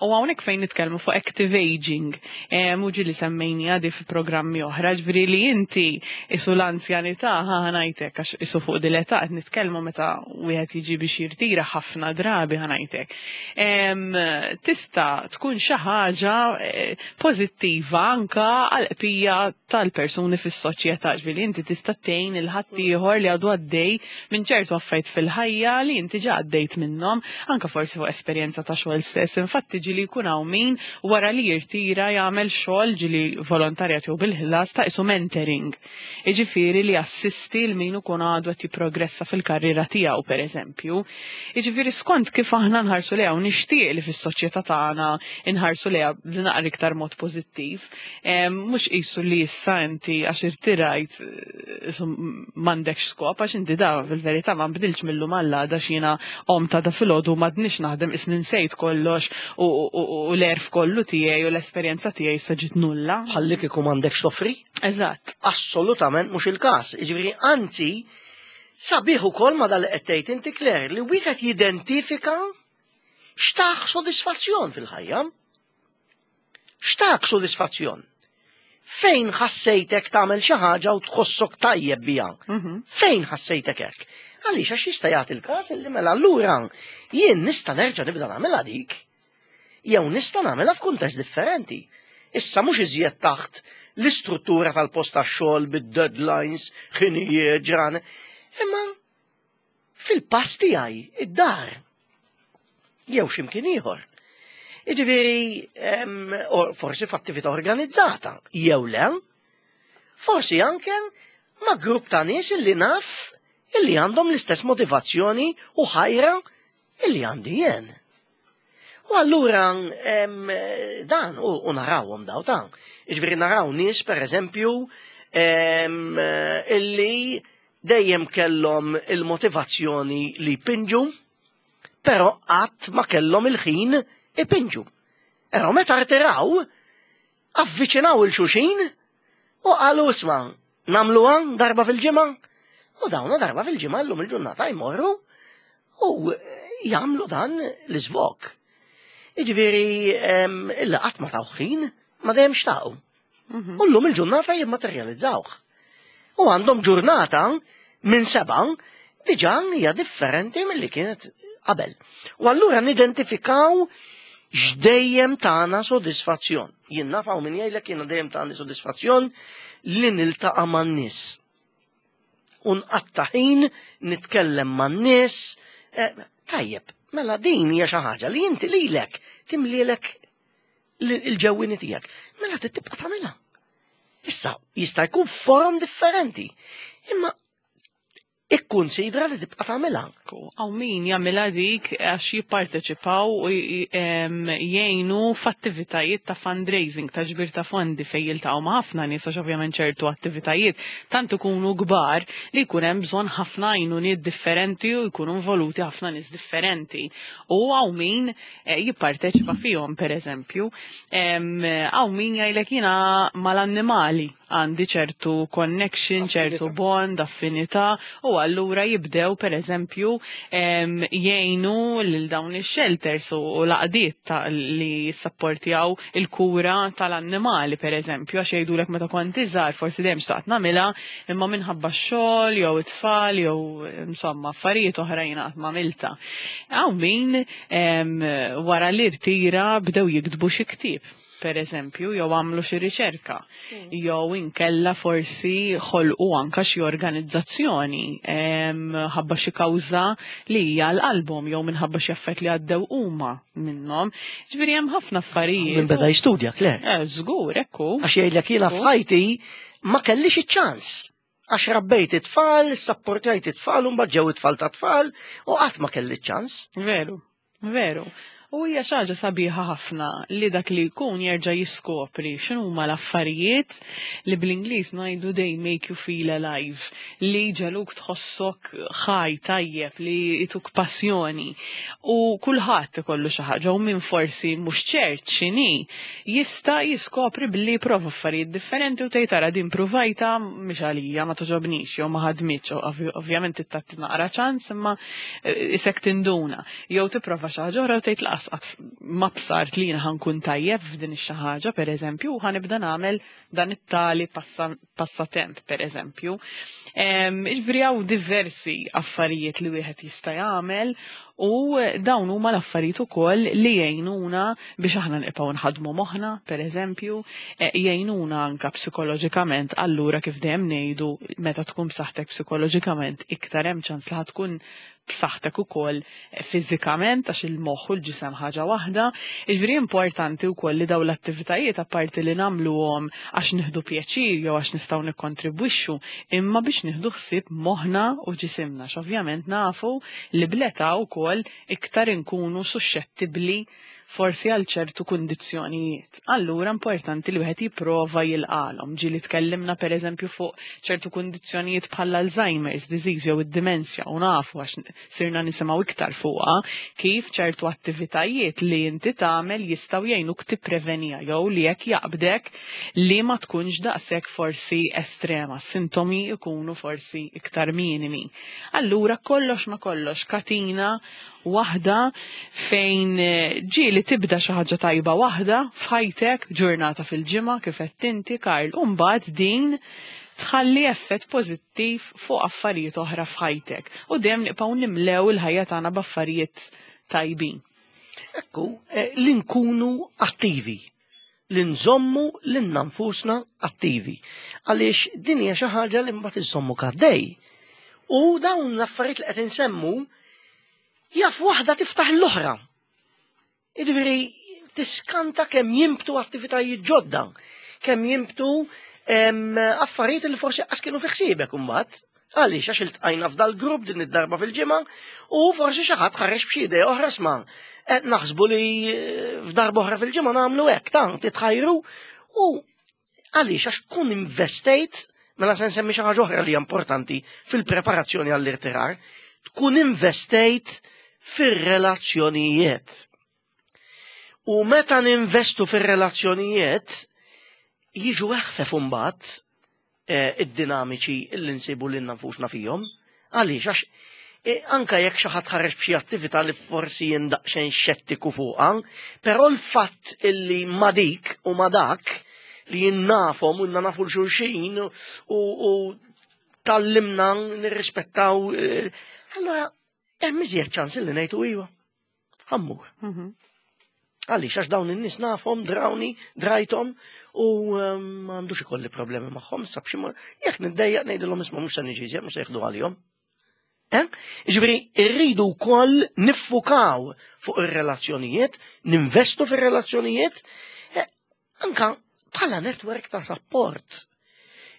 [SPEAKER 2] U hawnhekk fejn nitkellmu fuq active aging, mhux li semmejni għadi fi programmi oħra, ġifieri li inti isu l-anzjanità ħa ngħidlek għax isu fuq dil-età qed nitkellmu meta wieħed jiġi biex jirtira ħafna drabi ħa ngħidlek. Em, Tista' tkun xi ħaġa eh, pożittiva anka għal-qpija tal-persuni fis-soċjetà, ġifieri inti tista' tgħin lil ħaddieħor li għadu għaddej minn ċertu affarijiet fil-ħajja li inti ġa għaddejt minnhom, anka forsi fuq esperjenza ta' xogħol stess. Infatti ġieli jkun hawn min wara li jirtira jagħmel xogħol ġieli volontarjat jew bil-ħlas ta' isu mentoring. Jiġifieri li assisti lil min ikun għadu qed jipprogressa fil-karriera tiegħu pereżempju. Jiġifieri skont kif aħna nħarsu lejha u nixtieq li fis-soċjetà tagħna nħarsu lejha b'naqra iktar mod pożittiv. Em, Mhux qisu li issa inti għax irtirajt eh, isu m'għandekx skop għax inti da fil-verità ma nbdilx mil-lum għal għada x'jiena qomt għada filgħodu m'għadnix naħdem isni nsejt kollox u, u, u l-għerf kollu tiegħi u l-esperjenza tiegħi issa ġiet nulla.
[SPEAKER 1] Ħallik ikun m'għandekx toffri?
[SPEAKER 2] Eżatt.
[SPEAKER 1] Assolutament mhux il-każ. Jiġifieri anzi sabiħ ukoll ma dal qed tgħid inti Claire li wieħed jidentifika x'tah sodisfazzjon fil-ħajja. X'tak sodisfazzjon? Fejn ħassejtek tagħmel xi ħaġa u tħossok tajjeb biha?
[SPEAKER 2] Mhm.
[SPEAKER 1] Fejn ħassejtek hekk? Għaliex għax jista' jagħti il-każ illi mela allura jien nista' nerġa' nibda nagħmilha dik. Jew nista' nagħmilha f'kuntest differenti. Issa mhux iżjed taħt l-istruttura tal-post tax-xogħol bid-deadlines, ħinijiet, ġran. Imma fil-pass tiegħi, id-dar. Jew x'imkien ieħor. Jiġifieri, em, or- forsi f'attività organizzata, jew le, forsi anke ma' grupp ta' nies illi naf illi għandhom l-istess motivazzjoni u ħajra illi għandi jien. U allura em, dan, u, u narawhom daw ta' Jiġifieri naraw nies, per eżempju, em, illi dejjem kellhom il-motivazzjoni li jpinġu, però qatt ma kellhom il-ħin ipinġu. Però meta rtiraw, avviċinaw lil xulxin u qalu isma' nagħmluha darba fil-ġimgħa. U dawna darba fil-ġimgħa llum il-ġurnata jmorru u jagħmlu dan l-iżvog. Jiġifieri em, illa qatt ma taw ħin ma dejjem xtaqu.
[SPEAKER 2] Mhm.
[SPEAKER 1] U llum il-ġurnata jimmaterjalizzawh. U għandhom ġurnata minn seba' diġà hija differenti milli kienet qabel. U allura nidentifikaw x'dejjem tagħna sodisfazzjon. Jien naf hawn min jgħidlek jiena dejjem tagħni sodisfazzjon li niltaqa' man-nies. U nqatta' ħin nitkellem man-nies. Eh, Tajjeb, mela din hija xi ħaġa li inti lilek timlielek il-ġewwini tiegħek. Mela trid tibqa' tagħmilha. Issa jista' jkun forom differenti. Imma ikkunsidra li tibqa' tagħmilha.
[SPEAKER 2] Hawn min jagħmilha dik għax jipparteċipaw u j- em, jgħinu f'attivitajiet ta' fundraising, ta' ġbir ta' fondi fejn jiltaqgħu ma' ħafna nies għax ovvjament ċertu attivitajiet tant ikunu kbar li jkun hemm bżonn ħafna għajnuniet differenti u jkunu involuti ħafna nies differenti. U hawn min eh, jipparteċipa fihom pereżempju. Em, Hawn min jgħidlek jiena mal-annimali għandi ċertu connection, ċertu bond, affinità, u allura jibdew per eżempju em, jgħinu lil dawn ix-shelters u u l-għaqdiet ta' li jissapportjaw il-kura tal-annimali per eżempju, għax jgħidulek meta kont iżgħar forsi dejjem xtaqt nagħmilha, imma minħabba x-xogħol jew it-tfal jew insomma affarijiet oħra jiena qatt m'għamiltha. Hawn min em, wara li rtira bdew jiktbu xi ktieb per eżempju, jew għamlu xi riċerka, jew inkella forsi ħolqu anka xi organizzazzjoni em, ħabba xi kawża li hija l-qalbhom jew minħabba xi affett li għaddew huma minnhom. Ġifieri hemm ħafna affarijiet.
[SPEAKER 1] Min beda jistudja, Claire.
[SPEAKER 2] Eh, żgur, ekku.
[SPEAKER 1] Għax jgħidlek jiena f'ħajti ma kellix iċ-ċans. Għax rabbejt it-tfal, sapportajt it-tfal, u mbagħad ġew it-tfal ta' tfal, u qatt ma kelli ċans.
[SPEAKER 2] Veru, veru. U hija xi ħaġa sabiħa ħafna li dak li jkun jerġa' jiskopri x'inhuma l-affarijiet li bl-Ingliż ngħidu they make you feel alive, li jġegħluk tħossok ħaj tajjeb, li jtuk passjoni. U kulħadd ikollu xi ħaġa u min forsi mhux ċert x'inhi jista' jiskopri billi jprova affarijiet differenti u tgħid tara din pruvajta mhix għalija ma toġobnix jew ma ħadmitx, ovvj- ovvjament tagħti naqra ċans imma eh, isek tinduna. Jew tipprova xi ħaġa oħra u tgħid laqas qatt ma bsart li jiena ħa nkun tajjeb f'din ix-xi ħaġa pereżempju u ħa nibda nagħmel dan it-tali passa- passatemp pereżempju. Em, Jiġifieri hawn diversi affarijiet li wieħed jista' jagħmel u dawn huma l-affarijiet ukoll li jgħinuna biex aħna nibqgħu nħadmu moħħna, pereżempju, eh, jgħinuna anka psikoloġikament allura kif dejjem ngħidu meta tkun b'saħħtek psikoloġikament iktar hemm ċans li ħa tkun b'saħħtek ukoll fiżikament għax il-moħħ u l-ġisem ħaġa waħda. Jiġifieri importanti wkoll li dawn l-attivitajiet apparti li nagħmluhom għax nieħdu pjaċir jew għax nistgħu nikkontribwixxu, imma biex nieħdu ħsieb moħħna u ġisimna. X'ovvjament nafu li bl-età wkoll iktar inkunu suxxettibbli forsi għal ċertu kundizzjonijiet. Allura importanti li wieħed jipprova jilqalhom. Ġieli tkellimna pereżempju fuq ċertu kundizzjonijiet bħal Alzheimer's disease jew id-dimensja u nafu għax sirna nisimgħu iktar fuqha kif ċertu attivitajiet li inti tagħmel jistgħu jgħinuk tipprevenija jew li jekk jaqbdek li ma tkunx daqshekk forsi estrema, sintomi jkunu forsi iktar minimi. Allura kollox ma kollox katina waħda fejn eh, ġieli Illi tibda xi ħaġa tajba waħda f'ħajtek, ġurnata fil-ġimgħa kif qed inti, Karl, u mbagħad din tħalli effett pożittiv fuq affarijiet oħra f'ħajtek. U dejjem nibqgħu nimlew il-ħajja tagħna b'affarijiet tajbin.
[SPEAKER 1] Ekku, eh, li nkunu attivi, li nżommu lilna nfusna attivi. Għaliex din hija xi ħaġa li mbagħad iżommu għaddej. U dawn l-affarijiet li qed insemmu jaf waħda tiftaħ l-oħra. Jiġifieri tiskanta kemm jinbtu attivitajiet ġodda, kemm jinbtu em, affarijiet li forsi qas kienu fi ħsiebek imbagħad. Għaliex għax iltqajna f'dal grupp din id-darba fil-ġimgħa u forsi xi ħadd ħareġ b'xi idea oħra, isma', qed naħsbu li eh, f'darba oħra fil-ġimgħa nagħmlu hekk, ta' titħajru u għaliex għax tkun investejt, mela se nsemmi xi ħaġa oħra li hija importanti fil-preparazzjoni għall-irtirar, tkun investejt fir-relazzjonijiet. U meta ninvestu fir-relazzjonijiet, jiġu eħfef imbagħad eh, id-dinamiċi illi nsibu lilna nfusna fihom. Għaliex għax eh, anka jekk xi ħadd ħareġ b'xi attività li forsi jien daqsxejn xettiku fuqha, però l-fatt illi ma dik u ma dak li jien nafhom u nafu 'l xulxin u, u tgħallimna nirrispettaw, eh, allora hemm iżjed ċans illi ngħidu iva. Ħa mmur.
[SPEAKER 2] Mhm.
[SPEAKER 1] Għaliex għax dawn in-nies nafhom, drawni, drajthom u um, m'għandux ikolli problemi magħhom, sab xi mod- jekk niddejjaq ngħidilhom isma' mhux se niġi iżjed, mhux se jieħdu għalihom. Eh? Ġifieri rridu wkoll niffukaw fuq ir-relazzjonijiet, ninvestu fir-relazzjonijiet, eh, anka bħala network ta' support.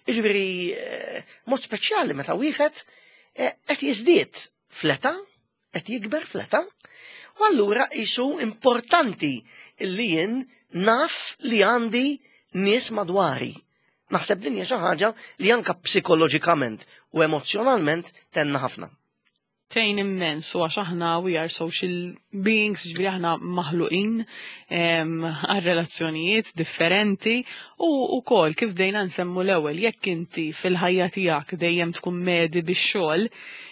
[SPEAKER 1] Ġifieri eh, mod speċjali meta wieħed eh, qed jiżdied fl-età, qed jikber fl-età, u allura isu importanti li jien naf li għandi nies madwari. Naħseb din hija xi ħaġa li anka psikoloġikament u emozjonalment tgħinna ħafna.
[SPEAKER 2] Tgħin immens u għax aħna we are social beings, ġifieri aħna maħluqin em, għal relazzjonijiet differenti u ukoll kif bdejna nsemmu l-ewwel, jekk inti fil-ħajja tiegħek dejjem tkun medhi bix-xogħol,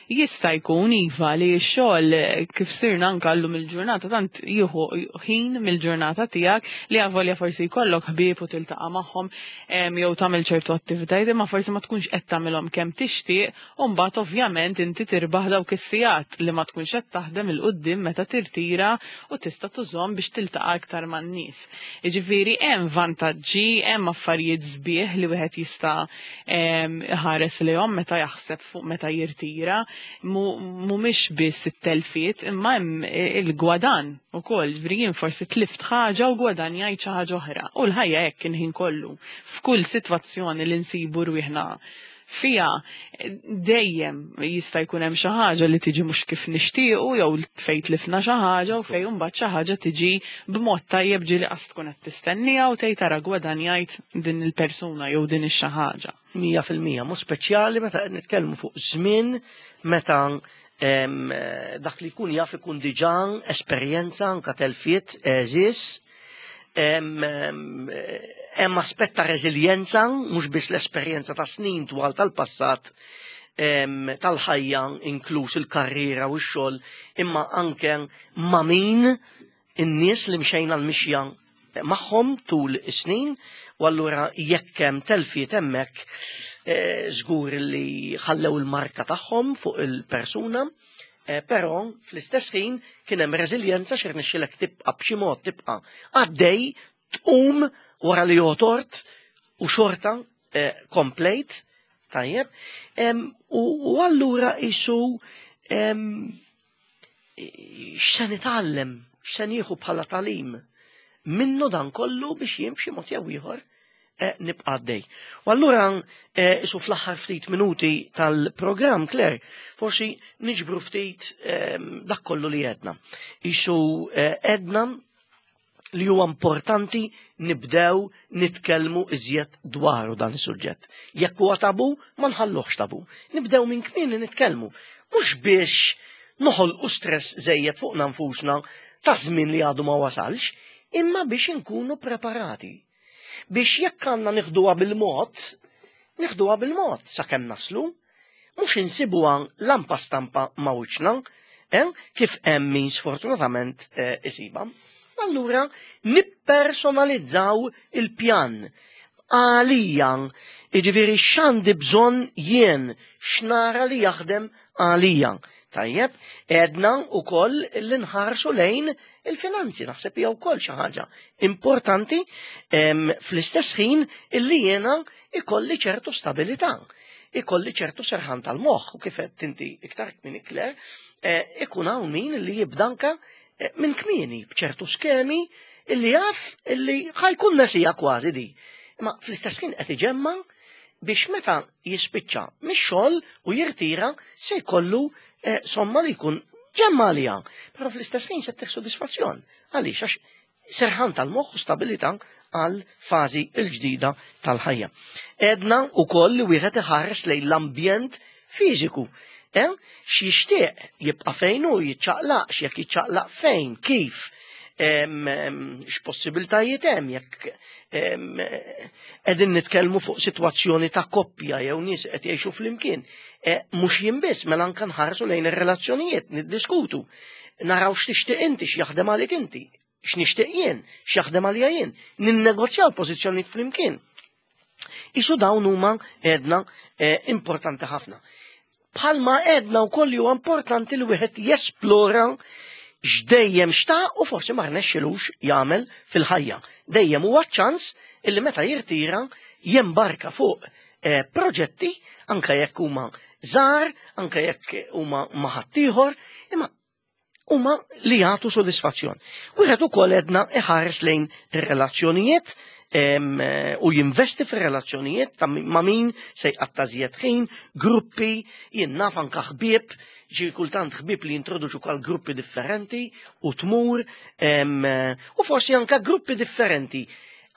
[SPEAKER 2] jista' jkun iva li x-xogħol kif sirna anka llum il-ġurnata tant jieħu ħin mill-ġurnata tiegħek li avolja forsi jkollok ħbieb u tiltaqa' magħhom em, jew tagħmel ċertu attivitajiet, imma forsi ma tkunx qed tagħmilhom kemm tixtieq u mbagħad ovvjament inti tirbaħ dawk is-sigħat li ma tkunx qed taħdem 'il quddiem meta tirtira u tista' tużhom biex tiltaqa' aktar man-nies. Jiġifieri hemm vantaġġi, hemm affarijiet sbieħ li wieħed jista' em, iħares lejhom meta jaħseb fuq meta jirtira, mhumiex biss it-telfiet imma hemm il-gwadan ukoll, ġifieri jien forsi tlift ħaġa u gwadanjajt xi ħaġa oħra. U l-ħajja hekk il-ħin kollu. F'kull sitwazzjoni li nsibu rwieħna fija dejjem jista' jkun hemm xi ħaġa li tiġi mhux kif nixtiequ jew fejn tlifna xi ħaġa u fejn imbagħad xi ħaġa tiġi b'mod tajjeb ġieli qas tkun qed tistenniha u tgħid tara gwadanjajt din il-persuna jew din ix-xi ħaġa.
[SPEAKER 1] Mija fil-mija, mod speċjali meta qed nitkellmu fuq żmien meta em, dak li jkun jaf ikun diġà esperjenza anka telfiet għeżież, em, em, hemm aspett ta' reżiljenza, mhux biss l-esperjenza ta' snin twal tal-passat, em, tal-ħajja, inkluż il-karriera u x-xogħol, imma anke ma' min in-nies li mxejna l-mixja magħhom tul is-snin, u allura jekk hemm telfiet hemmhekk, eh, żgur li ħallew il-marka tagħhom fuq il-persuna, eh, però fl-istess ħin kien hemm reżiljenza xi rnexxilek tibqa' b'xi mod tibqa' għaddej, tqum wara li jotort u xorta eh, komplejt, tajjeb, em, u, u allura isu em, x'se nitgħallem, x'se nieħu bħala tagħlim minnu dan kollu biex jien b'xi mod jew ieħor eh, nibqa' għaddej. U allura eh, isu fl-aħħar ftit minuti tal-programm, Claire, forsi niġbru ftit em, dak kollu li għedna. Isu eh, għedna li huwa importanti nibdew nitkellmu iżjed dwaru dan is-suġġett. Jekk huwa tabu, ma nħalluhx tabu. Nibdew minn kmieni nitkellmu. Mhux biex noħolqu stress żejjed fuqna nfusna ta' żmien li għadu ma wasalx, imma biex inkunu preparati. Biex jekk għandna nieħduha bil-mod, nieħduha bil-mod sakemm naslu, mhux insibuha lampa stampa ma' wiċċna, eh, kif hemm min sfortunatament eh, isiba. Allura nippersonalizzaw il-pjan. Għalija, jiġifieri x'għandi bżonn jien, x'nara li jaħdem għalija. Tajjeb, għedna wkoll li nħarsu lejn il-finanzi, naħseb hija wkoll xi ħaġa importanti fl-istess ħin illi jiena ikolli ċertu stabilità, ikolli ċertu serħan tal-moħħ u kif qed inti iktar kmieni Claire, eh, ikun hawn min li jibda anka eh, minn kmieni b'ċertu skemi illi jaf illi ħa jkun nesija kważi di. Ma fl-istess ħin qed iġemma biex meta jispiċċa mix-xogħol u jirtira se jkollu eh, somma li jkun ġemma għalija. Però fl-istess ħin se ttih sodisfazzjon. Għaliex għax serħan tal-moħħ u stabilità għal fażi l-ġdida tal-ħajja. Għedna wkoll li wieħed iħares lejn l-ambjent fiżiku. Eh? X'jixtieq jibqa' fejn hu jiċċaqlaqx, jekk jiċċaqlaq fejn, kif, x'possibiltajiet hemm jekk qegħdin nitkellmu fuq sitwazzjoni ta' koppja jew nies qed jgħixu flimkien. E, mhux jien biss, mela anke nħarsu lejn ir-relazzjonijiet, niddiskutu. Naraw x'tixtieq inti, x'jaħdem għalik inti, x'nixtieq jien, x'jaħdem għalija jien. Ninnegozjaw pożizzjonijiet flimkien. Isu dawn huma għedna e, importanti ħafna. Bħalma għedna wkoll huwa importanti li wieħed jesplora x'dejjem xtaq u forsi ma rnexxilux jagħmel fil-ħajja. Dejjem huwa ċans illi meta jirtira jembarka fuq eh, proġetti anke jekk huma żgħar, anke jekk huma ma' ħaddieħor, imma huma li jagħtu sodisfazzjon. Wieħed ukoll għedna iħares lejn ir-relazzjonijiet u jinvesti fir-relazzjonijiet ta' ma' min se jqatta' żjed ħin, gruppi, jien naf anka ħbieb, ġi kultant ħbieb li jintroduċu għal gruppi differenti u tmur, u forsi anka gruppi differenti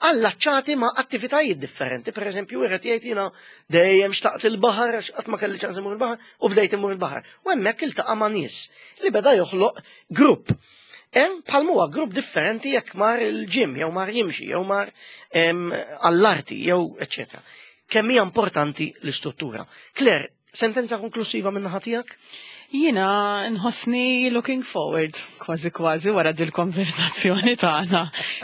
[SPEAKER 1] allaċċati ma' attivitajiet differenti. Per eżempju, wieħed jgħid jiena dejjem xtaqt il-baħar, għax qatt ma kelli ċans imur il-baħar, u bdejt imur il-baħar. U hemmhekk iltaqa' ma' nies li beda joħloq grupp. Hemm bħal huwa grupp differenti jekk mar il-gym, jew mar jimxi, jew mar għall-arti, jew eċċetera. Kemm hija importanti l-istruttura. Claire, sentenza konklusiva minn naħa tiegħek?
[SPEAKER 2] Jiena nħossni looking forward, kważi kważi wara dil-konversazzjoni tagħna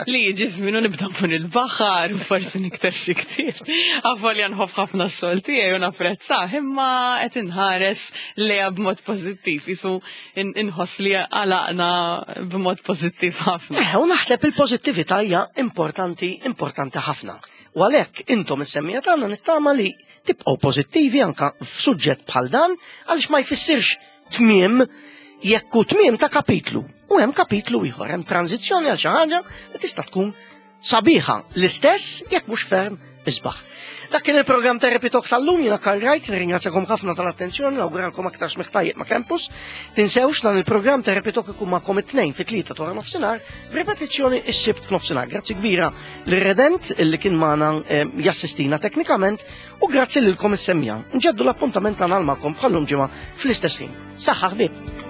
[SPEAKER 2] li jiġi żmien u nibda mmur il-baħar u forsi nikteb xi ktieb. Avolja nħobb ħafna x-xogħol tiegħi u napprezzah, imma qed inħares lejha b'mod pożittiv, isu inħoss li għalaqna b'mod pożittiv ħafna.
[SPEAKER 1] Eh, u naħseb il-pożittività hija importanti, importanti ħafna. U għalhekk intom is-semmiegħa tagħna nittama li tibqgħu pożittivi anka f'suġġett bħal dan għaliex ma jfissirx tmiem jekk hu tmiem ta' kapitlu. U hemm kapitlu ieħor, hemm tranzizzjoni għal xi ħaġa li tista' tkun sabiħa l-istess jekk mhux ferm isbaħ. Dak kien il-programm Therapy Talk tal-lum, jiena Karl Wright, nirringrazzjakom ħafna tal-attenzjoni, nawguralkom aktar smigħ tajjeb ma' Campus. Tinsewx dan il-programm Therapy Talk ikun magħkom it-tnejn fit-tlieta ta' nofsinhar, b'ripetizzjoni s-sibt f'nofsinhar. Grazzi kbira lir-Redent illi kien magħna eh, jassistina teknikament u grazzi lilkom is-semmiegħa. Nġeddu l-appuntament tagħna magħkom bħallum ġimgħa fl-istess ħin. Saħħa ħbieb!